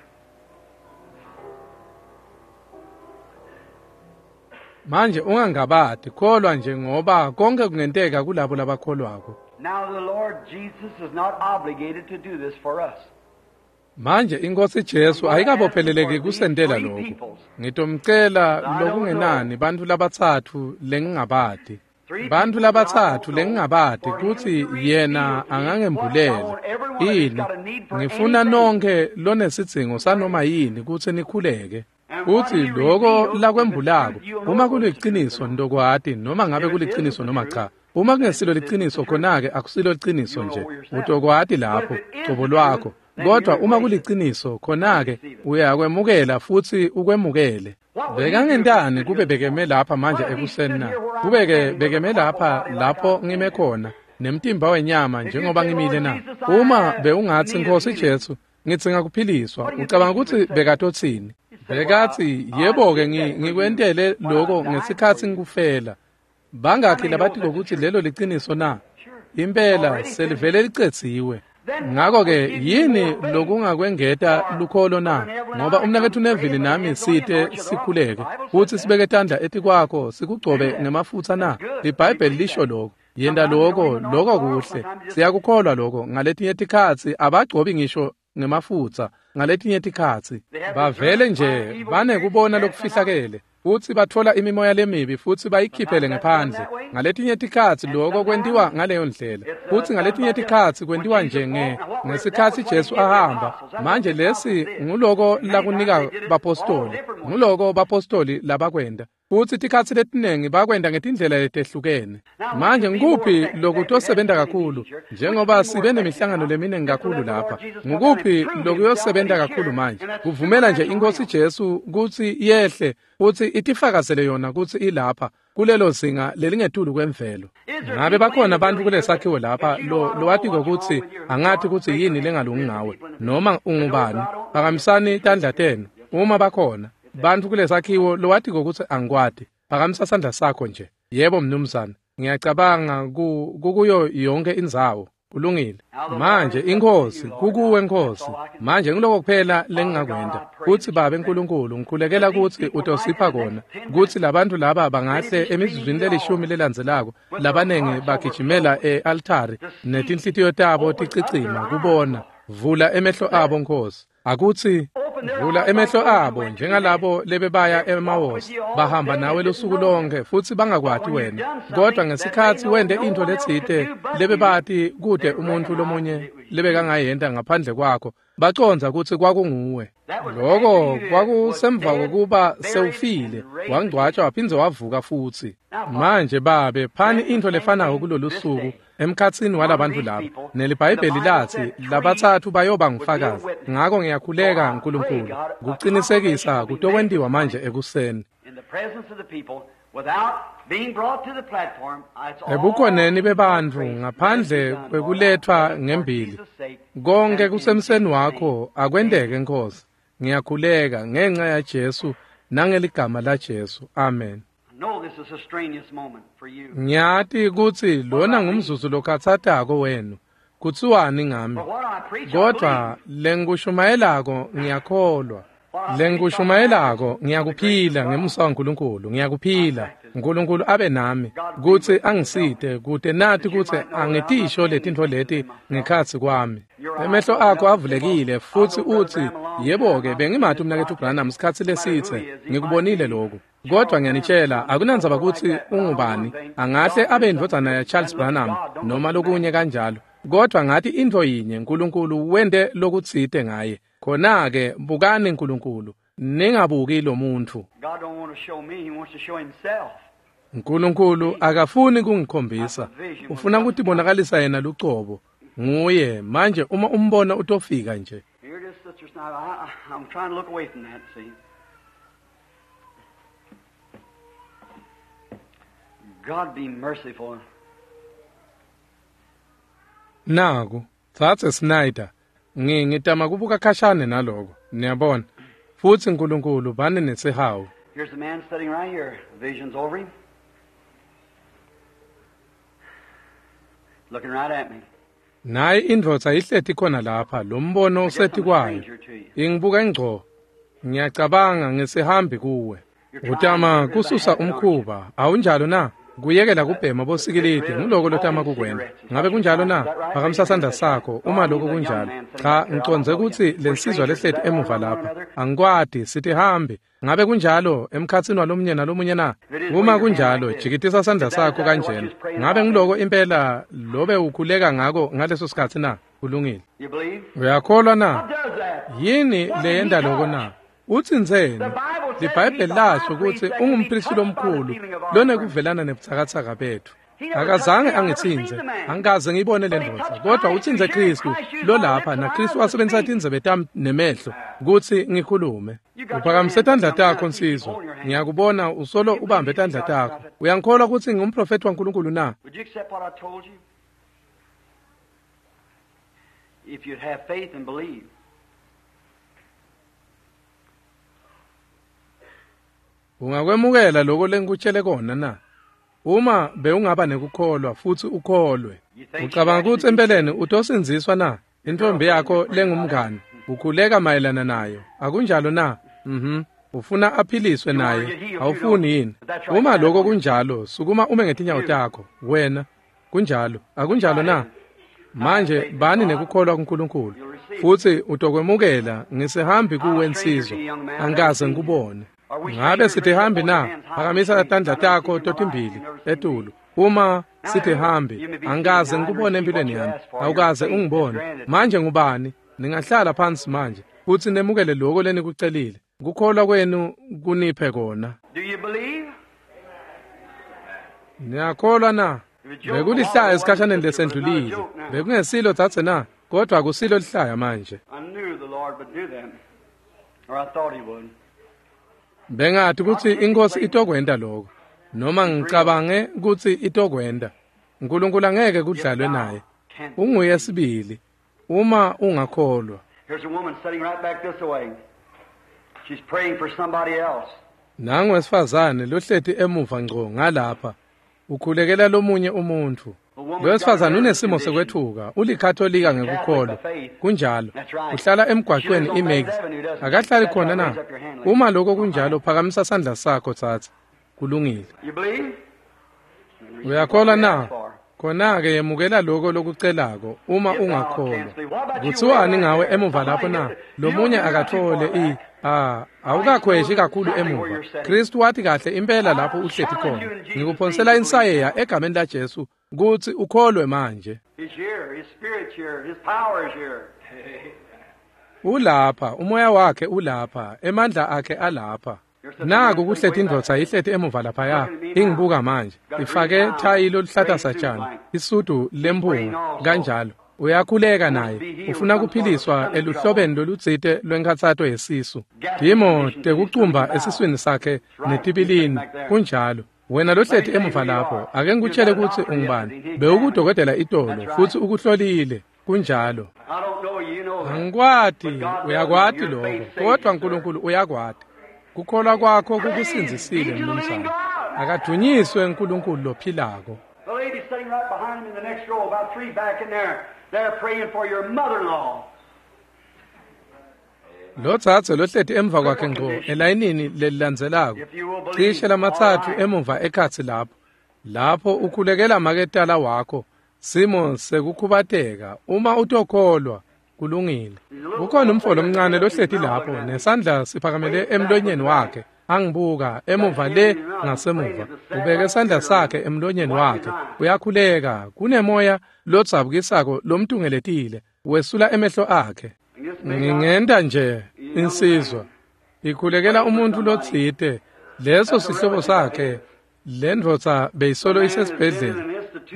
Manje ungangabati, kholwa nje ngoba konke kungenteka kulabo labakholwako. Now the Lord Jesus is not obligated to do this for us. Manje inkosi Jesu ayikabopheleleki kusentela lokho. Ngitomcela lokungenani bantfu labatsatfu lengingabati. Bantfu labatsatfu lengingabati kutsi yena angangembulela. Yini? Ngifuna nonke lonesidzingo sanoma yini kutsi nikhuleke. Kutsi loko lakwembulako uma kuliciniso ndokwati noma ngabe kuliciniso noma cha. Uma kungesilo liciniso khona-ke akusilo liciniso nje. Utokwati lapho cobo lwakho. Kodwa uma kuliciniso khona-ke uyakwemukela futsi ukwemukele. Bekangentani kube bekeme lapha manje ekuseni na? Kube-ke bekeme lapha lapho ngime khona nemtimba wenyama njengoba ngimile na? Uma bewungatsi Nkosi Jesu ngidzinga kuphiliswa, ucabanga kutsi bekatotsini? Bekatsi yebo-ke ngikwentele loko ngesikhatsi ngikufela. Bangakhi labatiko kutsi lelo liciniso na? Impela selivele licedziwe. Ngakho-ke yini lokungakwengeta lukholo na? Ngoba umnaketfu Neville nami site sikhuleke futsi sibeke tandla etikwakho sikugcobe ngemafutsa na? LiBhayibheli lisho lokho. Yenta loko, loko kuhle. Siyakukholwa loko. Ngaletinye tikhatsi abagcobi ngisho ngemafutsa, ngaletinye tikhatsi bavele nje banekubona lokufihlakele futsi batfola imimoya lemibi futsi bayikhiphele ngephandle. Ngaletinye tikhatsi loko kwentiwa ngaleyo ndlela, futsi ngaletinye tikhatsi kwentiwa nje nge ngesikhatsi Jesu ahamba. Manje lesi nguloko lakunika bapostoli, nguloko bapostoli labakwenta. Futsi tikhatsi letinengi bakwenta ngetindlela letehlukene. Manje ngukuphi lokutosebenta kakhulu? Njengoba sibe nemihlangano leminingi kakhulu lapha, ngukuphi lokuyosebenta kakhulu manje? Kuvumela nje iNkosi Jesu kutsi yehle futsi itifakazele yona kutsi ilapha kulelo zinga lelingetulu kwemvelo. Ngabe bakhona bantfu kulesakhiwo lapha lo lowatiko kutsi angathi kutsi yini lengalungi ngawe noma ungubani? Phakamisani tandla tenu uma bakhona bantfu kulesakhiwo lowatiko kutsi angikwati. Phakamisa sandla sakho nje. Yebo mnumzane, ngiyacabanga kukuyo yonke indzawo. Kulungile. Manje iNkhosi kukuwe Nkosi. Manje ngiloko kuphela lengingakwenta kutsi Babe Nkulunkulu ngikhulekela kutsi utosipha kona kutsi labantfu laba bangahle emizuzwini lelishumi lelandzelako labanengi bagijimela e-altari netinhlitiyo tabo ticicima kubona. Vula emehlo abo Nkosi. Akutsi vula emehlo abo njengalabo lebebaya emawosi bahamba nawe lusuku lonke futsi bangakwati wena, kodwa ngesikhatsi wente intfo letsite lebebati kude umuntfu lomunye lebekangayenta ngaphandle kwakho, bacondza kutsi kwakunguwe. Loko kwakusemva kokuba sewufile, wangcwatjwa waphindze wavuka futsi. Manje Babe, phani intfo lefanako kulolu suku emkhatsini walabantfu laba. NeliBhayibheli latsi labatsatfu bayoba ngufakazi. Ngako ngiyakhuleka Nkulunkulu kucinisekisa kutokwentiwa manje ekuseni. Ebukhoneni bebantfu ngaphandle kwekuletfwa ngembili, konke kusemseni wakho akwenteke Nkosi. Ngiyakhuleka ngenxa ya Jesu nangeligama la Jesu. Amen. Ngiyati kutsi lona ngumzuzu lokhatsatako wenu. Kutsiwani ngami? Kodwa lengikushumayelako ngiyakholwa. Lengikushumayelako ngiyakuphila ngemusa waNkulunkulu, ngiyakuphila. Nkulunkulu abe nami kutsi angisite kute nati kutsi angitisho letintfo leti ngekhatsi kwami. Emehlo akho avulekile futsi utsi, yebo-ke bengimati umnaketfu Branham sikhatsi lesitse, ngikubonile lokhu. Kodwa ngiyanitshela akunandzaba kutsi ungubani, angahle abe indvodzana ya Charles Branham noma lokunye kanjalo. Kodwa ngathi intfo yinye, Nkulunkulu wente lokutsite ngaye. Khona-ke bukani Nkulunkulu, ningabuki lo muntfu. Nkulunkulu akafuni kungikhombisa, ufuna kutibonakalisa yena lucobo. Nguye manje uma umbona utofika nje. God be merciful. Naku, Dzadze Snyder, ngitama kubuka khashane naloko, niyabona. Futsi Nkulunkulu bani nesihawu. Here's a man sitting right here. Vision's over him. Looking right at me. Nayi indvodza ihleti khona lapha, lo mbono useti kwayo. Ingibuka ngco. Ngiyacabanga ngisihambi kuwe. Utama kususa umkhuba, awunjalo na? Kuyekela kubhema bosikilidi nguloko lotama kukwenta. Ngabe kunjalo na? Phakamisa sandla sakho uma lokho kunjalo. Cha, ngicondze kutsi lensizwa lehleti emuva lapha. Angikwati, sitihambi. Ngabe kunjalo emkhatsini walomunye nalomunye na? Uma kunjalo, jikitisa sandla sakho kanjena. Ngabe ngiloko impela lobe ukhuleka ngako ngaleso sikhatsi na? Kulungile. Uyakholwa na? Yini leyenta loko na? Utsintseni? LiBhayibheli lasho kutsi ungumphristi lomkhulu lonekuvelana nebutsakatsaka betfu. Akazange angitsintse, angikaze ngiyibone le ndvodza, kodwa utsintse Khristu lolapha, naKhristu wasebenzisa tindzebe tami nemehlo kutsi ngikhulume. Uphakamise tandla takho nsizwa, ngiyakubona usolo ubambe tandla takho. Uyangikholwa kutsi ngingumprofethi waNkulunkulu na? Would you accept what I told you? If you'd have faith and believe. Ungakwemukela lokho lengikutshele kona na? Uma bewungaba nekukholwa futsi ukholwe. Ucabanga kutsi empeleni utosindziswa na? Intombi yakho lengumngani ukhuleka mayelana nayo. Akunjalo na? Mhm. Ufuna aphiliswe naye. Awufuni yini? Uma lokho kunjalo, sukuma ume ngetinyawo takho. Wena kunjalo. Akunjalo na? Manje bani nekukholwa kuNkulunkulu futsi utokwemukela. Ngisihambi kuwe nsizwa, angikaze ngikubone. Ngabe sitihambi na? Phakamisa tandla takho totimbili etulu. Uma sitihambi, angikaze ngikubone empilweni yami, awukaze ungibone. Manje ngubani? Ningahlala phansi manje futsi nemukele lokho lenikucelile. Kukholwa kwenu kuniphe kona. Do you believe? Niyakholwa na? Bekulihlaya esikhashaneni lesendlulile. Bekungesilo dzadze na? Kodwa akusilo lihlaya manje. I knew the Lord would do that, or I thought he would. Bengathi kutsi inkosi itokwenta lokho, noma ngicabange kutsi itokwenta. uNkulunkulu angeke kudlalwe naye. Unguye sibili uma ungakholwa. Here's a woman sitting right back this way. She's praying for somebody else. Nangu wesifazane lohleti emuva ngco ngalapha. Ukhulekela lomunye umuntfu. Lo wesifazane unesimo sekwethuka, ulikatolika ngekukholwa. Kunjalo. Uhlala emgwaqweni iMax. Akahlali khona na? Uma lokho kunjalo, phakamisa sandla sakho tsatsa. Kulungile. You believe? Uyakholwa na? Khona-ke yemukela lokho lokucelako uma ungakholwa. Kuthiwani ngawe emuva lapho na? Lomunye akathole i ah awukakhweshi kakhulu emuva. Kristu wathi kahle impela lapho uhleti khona. Ngikuphonsela insayeya egameni laJesu kutsi ukholwe manje. He's here. His spirit's here. His power is here. Ulapha, umoya wakhe ulapha, emandla akhe alapha. Naku kuhleti indvodza ihleti emuva laphaya, ingibuka manje. Ifake thayi loluhlata satshani, isudu lemphunga kanjalo. Uyakhuleka naye, ufuna kuphiliswa eluhlobeni lolutsite lwenkhatsato yesisu. Timo tekucumba esiswini sakhe netibilini, kunjalo. Wena lohleti emuva lapho, ake ngikutshele kutsi ungubani. Bewukudokotela itolo futsi ukuhlolile, kunjalo. I don't know you, you know that. Angikwati, uyakwati lokho, kodwa uNkulunkulu uyakwati. Kukholwa kwakho kukusindzisile mnumzane. Akadunyiswe uNkulunkulu lophilako. The lady sitting right behind him in the next row, about three back in there, they're praying for your mother-in-law. Lo dzadze lohleti emva kwakhe ngco elayinini lelilandzelako, cishe lamatsatfu emuva ekhatsi lapho. Lapho ukhulekela maketala wakho, simo sekukhubateka. Uma utokholwa, kulungile. Kukhona umfo lomncane lohleti lapho nesandla siphakamele emlonyeni wakhe. Angibuka emuva le ngasemuva. Ubeke sandla sakhe emlonyeni wakhe. Uyakhuleka. Kunemoya lodzabukisako lomtungeletile. Wesula emehlo akhe. Ngingenta nje insizwa ikhulekela umuntu lotsite. Leso sihlobo sakhe, le ndvodza beyisolo isesibhedlela.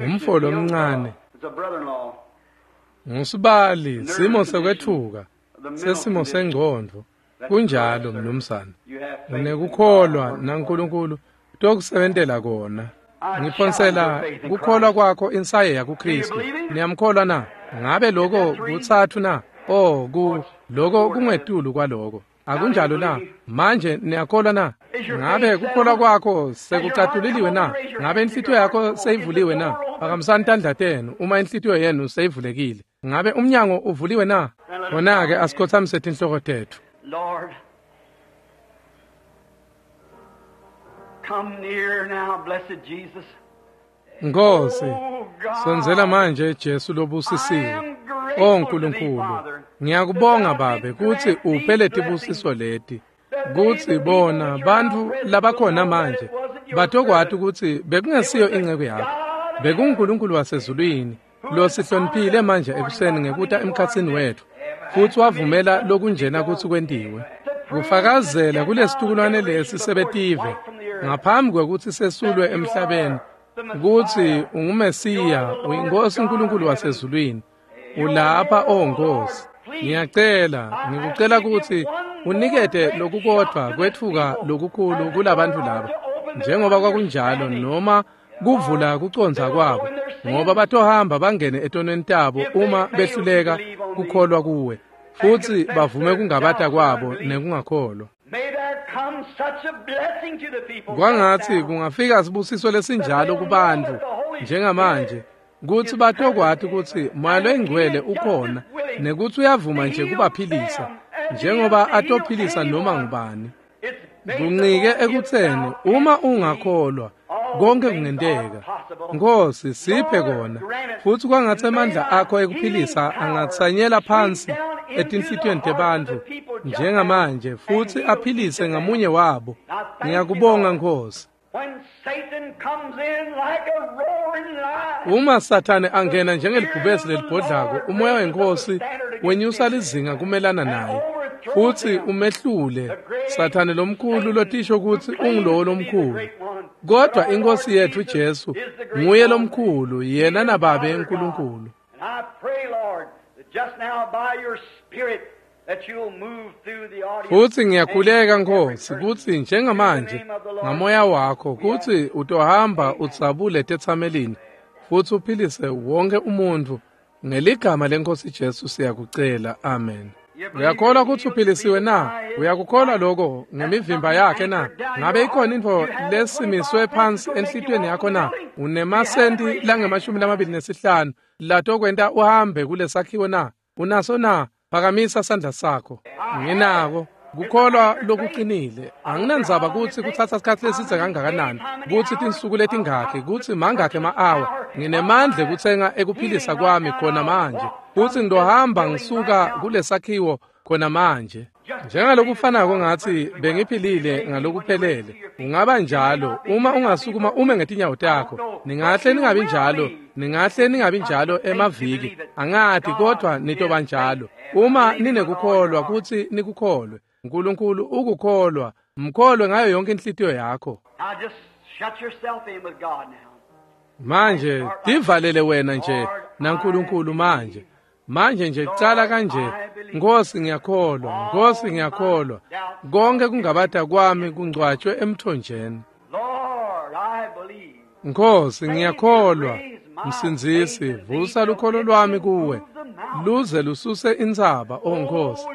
Umfo lomncane It's a brother-in-law. ngusibali, simo sekwethuka, sesimo sengcondvo. Kunjalo mnumzane. You have faith. Unekukholwa naNkulunkulu tokusebentela kona. Ngiphonsela kukholwa kwakho insayeya kuKristu. Niyamkholwa na? Ngabe lokho kutsatfu na? Oh, ku lokho kungetulu kwaloko. Akunjalo na? Manje niyakholwa na? Ngabe kukholwa kwakho sekucatuliliwe na? Ngabe inhlitiyo yakho seyivuliwe na? Phakamisani tandla tenu uma inhlitiyo yenu seyivulekile. Ngabe umnyango uvuliwe na? Khona-ke asikhothamise tinhloko tetfu. Lord, come near now, blessed Jesus. Nkosi, sondzela manje Jesu lobusisiwe. O Nkulunkulu, ngiyakubonga Babe kutsi uphe letibusiso leti. Kutsi bona bantfu labakhona manje batokwati kutsi bekungesiyo inceku yakho. BekunguNkulunkulu wasezulwini losihloniphile manje ekuseni ngekuta emkhatsini wetfu futsi wavumela lokunjena kutsi kwentiwe. Kufakazela kulesitukulwane lesi sebetive ngaphambi kwekutsi sesulwe emhlabeni kutsi unguMesiya, uyinkosi uNkulunkulu wasezulwini. Ulapha, o Nkosi. Ngiyacela, ngikucela kutsi unikete lokukodvwa kwetfuka lokukhulu kulabantfu laba, njengoba kwakunjalo noma kuvula kucondza kwabo, ngoba batohamba bangene etonweni tabo uma behluleka kukholwa kuwe, futsi bavume kungabata kwabo nekungakholwa. Kwangatsi kungafika sibusiso lesinjalo kubantfu njengamanje, kutsi batokwati kutsi Moya loyiNgcwele ukhona nekutsi uyavuma nje kubaphilisa njengoba atophilisa noma ngubani. Kuncike ekutseni uma ungakholwa konke kungenteka. Nkosi, siphe kona, futsi kwangatsi emandla akho ekuphilisa angatsanyela phansi etinhlitiyweni tebantfu njengamanje futsi aphilise ngamunye wabo. Ngiyakubonga Nkosi. Uma Sathane angena njengelibhubesi lelibhodlako, umoya wenkosi wenyusa lizinga kumelana naye futsi umehlule Sathane lomkhulu lotisho kutsi ungulowo lomkhulu. Kodwa inkosi yetfu Jesu nguye lomkhulu, yena naBabe uNkulunkulu. Futsi ngiyakhuleka Nkosi kutsi njengamanje ngamoya wakho kutsi utohamba udzabule tetsamelini futsi uphilise wonke umuntfu. Ngeligama lenkosi Jesu siyakucela, amen. Uyakholwa kutsi uphilisiwe na? Uyakukholwa lokho ngemivimba yakhe na? Ngabe ikhona intfo lesimiswe phansi enhlitiyweni yakho na? Unemasenti langemashumi lamabili nesihlanu latokwenta uhambe kulesakhiwo na? Unaso na? Phakamisa sandla sakho. Nginako kukholwa lokuqinile. Anginandzaba kutsi kutsatsa sikhatsi lesidze kangakanani, kutsi tinsuku letingakhi, kutsi mangakhi ema-awa. Nginemandla ekutsenga ekuphilisa kwami khona manje, futsi ngitohamba ngisuka kulesakhiwo khona manje. Njengalokufanako ngatsi bengiphilile ngalokuphelele. Ungaba njalo uma ungasukuma ume ngetinyawo takho. Ningahle ningabi njalo, ningahle ningabi njalo emaviki. Angati, kodwa nitoba njalo. Uma ninekukholwa kutsi nikukholwe. uNkulunkulu ukukholwa, mkholwe ngayo yonke inhlitiyo yakho. Manje tivalele wena nje naNkulunkulu manje. Manje nje cala kanje, Nkosi ngiyakholwa, Nkosi ngiyakholwa. Konke kungabata kwami kungcwatshwe emthonjeni. Nkosi ngiyakholwa, Msindzisi, vusa lukholo lwami kuwe, luze lususe intsaba, o Nkosi.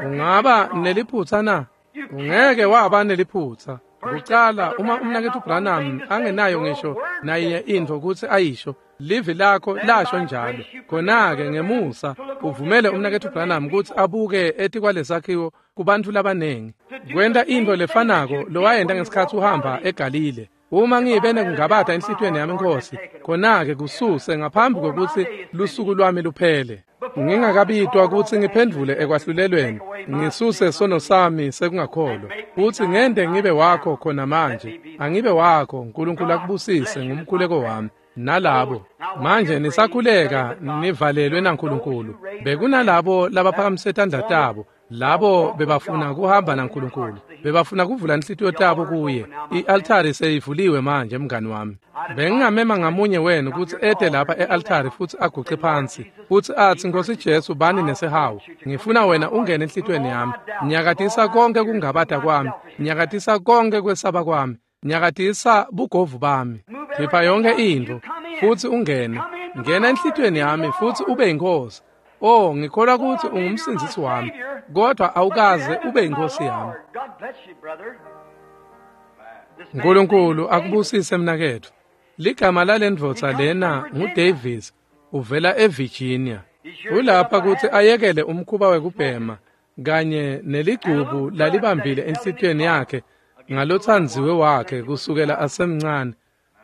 Ungaba neliphutsa na? Ungeke waba neliphutsa. Kucala uma umnaketfu Branham angenayo ngisho nayinye intfo kutsi ayisho, livi lakho lasho njalo. Khona-ke ngemusa uvumele umnaketfu Branham kutsi abuke etikwalesakhiwo kubantfu labanengi. Kwenta intfo lefanako lowayenta ngesikhatsi uhamba eGalile. Uma ngibe nekungabata enhlitiyweni yami Nkosi, khona-ke kususe ngaphambi kwekutsi lusuku lwami luphele. Ngingakabitwa kutsi ngiphendvule ekwahlulelweni, ngisuse sono sami sekungakholwa, futsi ngente ngibe wakho khona manje. Angibe wakho, Nkulunkulu akubusise ngumkhuleko wami nalabo. Manje nisakhuleka nivalelwe naNkulunkulu. Bekunalabo labaphakamise tandla tabo, labo bebafuna kuhamba naNkulunkulu, bebafuna kuvula inhlitiyo tabo kuye. I-altari seyivuliwe manje mngani wami. Bengingamema ngamunye wenu kutsi ete lapha e-altari futsi aguce phansi futsi atsi, Nkosi Jesu, bani nesihawu, ngifuna wena ungene enhlitiyweni yami. Nyakatisa konke kungabata kwami, nyakatisa konke kwesaba kwami, nyakatisa bugovu bami, khipha yonke intfo futsi ungene. Ngena enhlitiyweni yami futhi ube yinkosi. Oh, ngikholwa ukuthi ungumsindisi wami, kodwa awukaze ube yinkosi yami. uNkulunkulu akubusise mnaketfu. Ligama lalendvodza lena nguDavis, uvela eVirginia. Ulapha ukuthi ayekele umkhuba wekubhema kanye neligcubu lalibambile enhlitiyweni yakhe ngalothandziwe wakhe kusukela asemncane.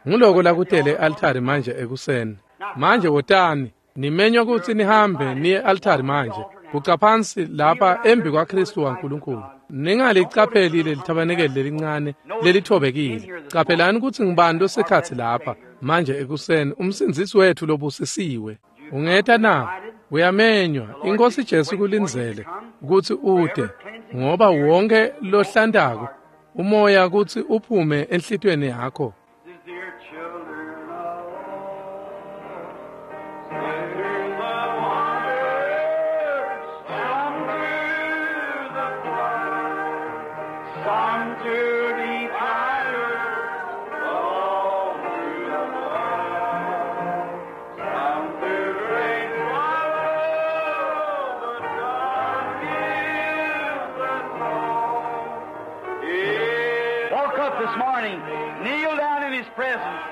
Nguloko lakutele e-altari manje ekuseni. Manje wotani, nimenywa ukuthi nihambe niye e-altari manje. Guca phansi lapha embi kwaKristu waNkulunkulu. Ningalicapheli leli thabanekeli lelincane lelithobekile. Caphelani ukuthi ngibani losekhatsi lapha manje ekuseni, umsindzisi wethu lobusisiwe. Ungeta na? Uyamenywa. Inkosi Jesu kulindzele ukuthi ude, ngoba wonke lohlantako umoya kutsi uphume enhlitiyweni yakho. This morning, kneel down in his presence.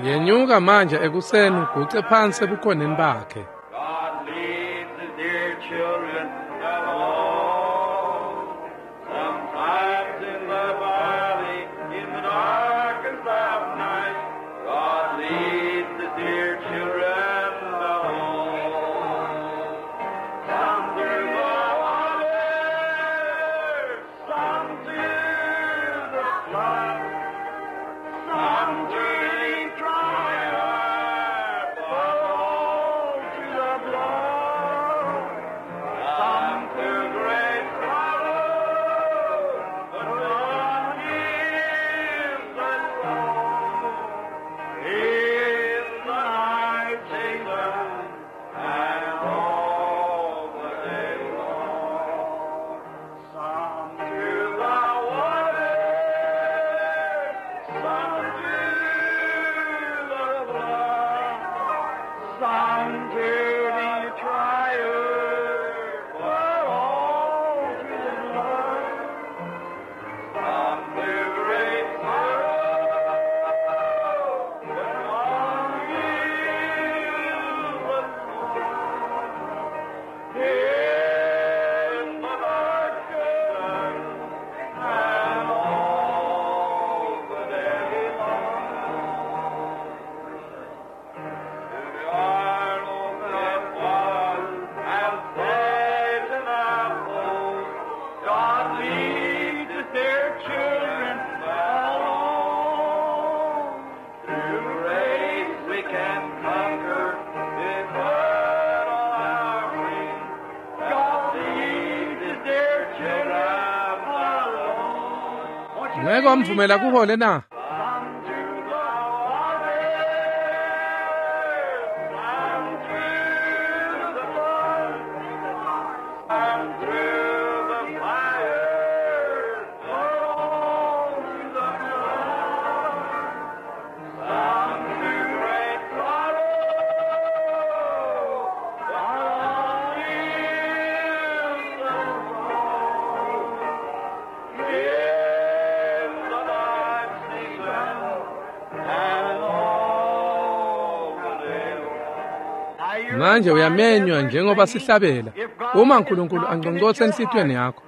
Yenyuka manje ekuseni uguce phansi ebukhoneni bakhe. God leads his dear children alone. Sometimes in the valley, in the darkest of night, God leads his dear children alone. Some through the water, some through the flood, some through the trial, but all through the blood. Some through great sorrow, but God gives us all. In the night season and all the day long. Some through the water, some through the blood, some through the trial, but all through the blood. Some through great sorrow, but all gives us in the darkness and all the day long. To the arnold that was and Satan our God leads his dear children alone. Through grace we can conquer if put on our wings. God leads his dear children alone. Won't you Ngeke wamvumela kuhole na? Some through the water, some through the flood, some through the fire, but all through the blood. Some through great sorrow, but all gives us all. In the night season and all the day long. Manje uyamenywa njengoba sihlabela. Uma uNkulunkulu angqongqotha enhlitiyweni yakho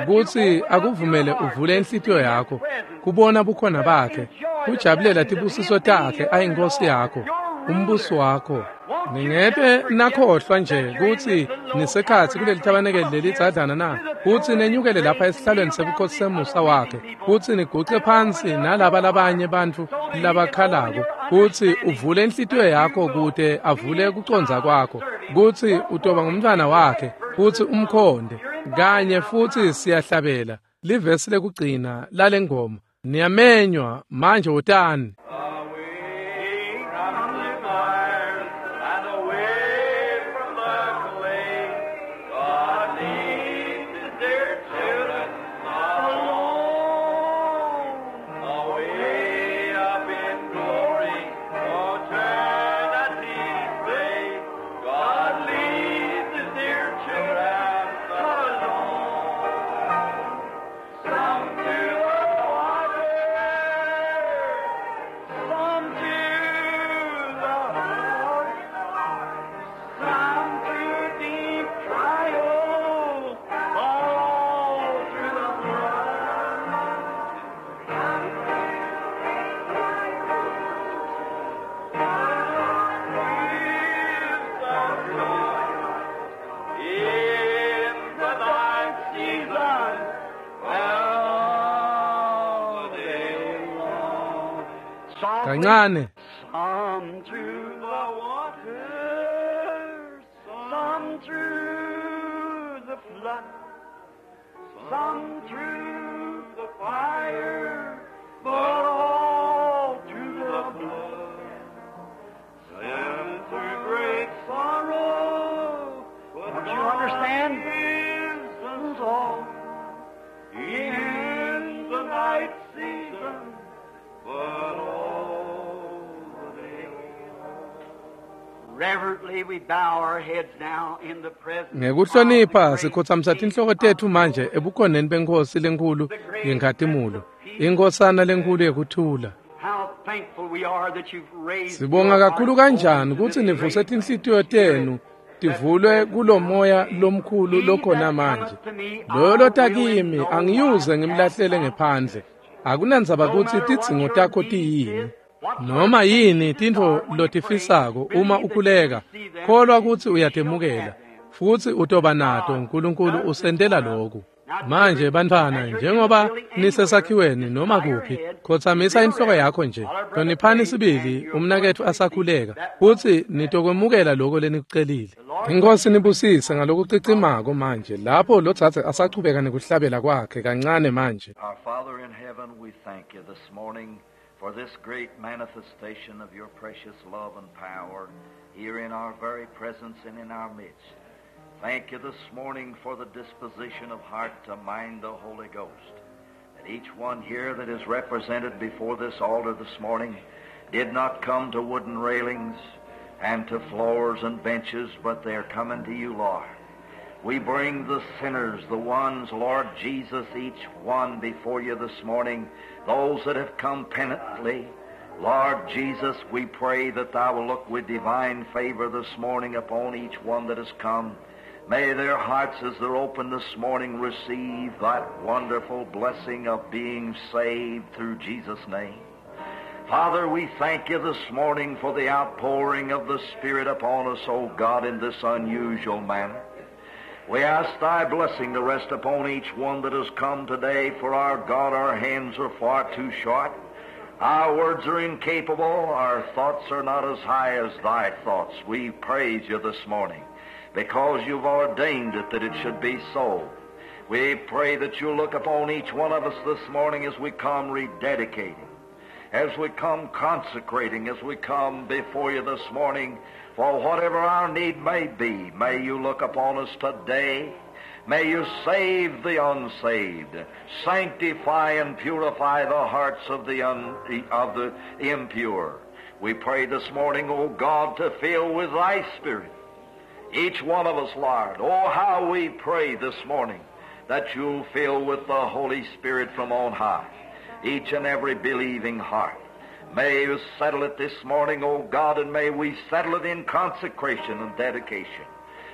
ukuthi akuvumele uvule inhlitiyo yakho kubona bukhona bakhe, kujabulela tibusiso takhe ayinkosi yakho, umbuso wakho. Ningebe nakhohlwa nje ukuthi nisekhatsi kuleli thabanekeli lelidzadlana na, kutsi nenyukele lapha esihlalweni sebukhosi semusa wakhe, kutsi niguce phansi nalaba labanye bantfu labakhalako, kutsi uvule inhlitiyo yakho kute avule kucondza kwakho, kutsi utoba ngumntfwana wakhe, kutsi umkhonde kanye. Futhi siyahlabela livesi lekugcina lalengoma. Niyamenywa manje, wotani. Away from the fires and away from the clay, God leads his dear children alone. Kancane. Some through the water, some through the flood, some through the fire, but all through the blood. Some through great sorrow, but don't you understand? Is all in the night season, but all the day long. Reverently we bow our heads now in the presence. Ngekuhlonipha sikhothamisa tinhloko tetfu manje ebukhoneni benkosi lenkulu yenkhatimulo, inkosana lenkulu yekuthula. How thankful we are that you've raised Sibonga your kakhulu hearts kanjani open to kutsi this nivuse great tinhlitiyo tenu tivulwe kulomoya lomkhulu lokhona manje. Loyo lota kimi angiyuze ngimlahlele ngephandle. Akunandzaba kutsi tidzingo takho tiyini, noma yini tintfo lotifisako uma ukhuleka, kholwa kutsi uyatemukela futsi utoba nato. uNkulunkulu usentela lokhu. Manje bantfwana, njengoba nisesakhiweni noma kuphi, khotsamisa inhloko yakho nje. Hloniphani sibili umnaketfu asakhuleka, futsi nitokwemukela lokho lenikucelile. Inkosi nibusise ngalokucicimako manje lapho lodzadze asachubeka nekuhlabela kwakhe kancane manje. Our Father in heaven, we thank you this morning for this great manifestation of your precious love and power here in our very presence and in our midst. Thank you this morning for the disposition of heart to mind the Holy Ghost. That each one here that is represented before this altar this morning did not come to wooden railings and to floors and benches, but they are coming to you, Lord. We bring the sinners, the ones, Lord Jesus, each one before you this morning, those that have come penitently. Lord Jesus, we pray that thou will look with divine favor this morning upon each one that has come. May their hearts, as they're open this morning, receive that wonderful blessing of being saved through Jesus' name. Father, we thank you this morning for the outpouring of the Spirit upon us, O God, in this unusual manner. We ask thy blessing to rest upon each one that has come today, for our God, our hands are far too short. Our words are incapable. Our thoughts are not as high as thy thoughts. We praise you this morning because you've ordained it that it should be so. We pray that you'll look upon each one of us this morning as we come rededicating, as we come consecrating, as we come before you this morning, for whatever our need may be, may you look upon us today. May you save the unsaved, sanctify and purify the hearts of the, un, of the impure. We pray this morning, O God, to fill with thy Spirit each one of us, Lord. Oh, how we pray this morning that you'll fill with the Holy Spirit from on high each and every believing heart. May you settle it this morning, O God, and may we settle it in consecration and dedication.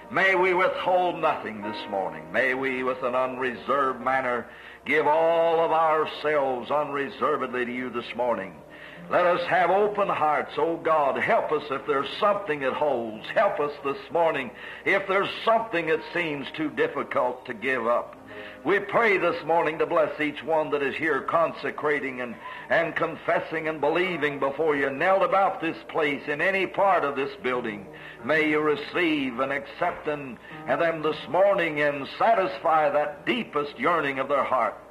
May we withhold nothing this morning. May we, with an unreserved manner, give all of ourselves unreservedly to you this morning. Let us have open hearts, O God. Help us if there's something that holds. Help us this morning if there's something that seems too difficult to give up. We pray this morning to bless each one that is here consecrating and, and confessing and believing before you, knelt about this place in any part of this building. May you receive and accept and, and them this morning and satisfy that deepest yearning of their heart.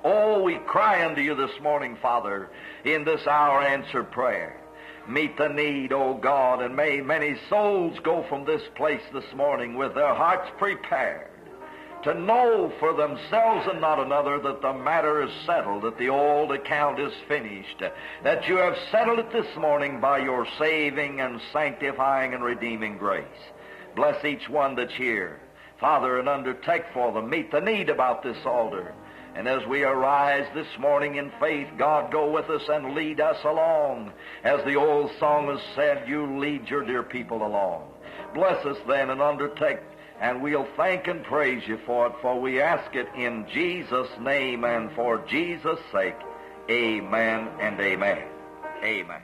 Oh, we cry unto you this morning, Father, in this hour answer prayer. Meet the need, O God, and may many souls go from this place this morning with their hearts prepared to know for themselves and not another that the matter is settled, that the old account is finished, that you have settled it this morning by your saving and sanctifying and redeeming grace. Bless each one that's here, Father, and undertake for them, meet the need about this altar. And as we arise this morning in faith, God, go with us and lead us along. As the old song has said, you lead your dear people along. Bless us then and undertake, and we'll thank and praise you for it, for we ask it in Jesus' name and for Jesus' sake. Amen and amen. Amen.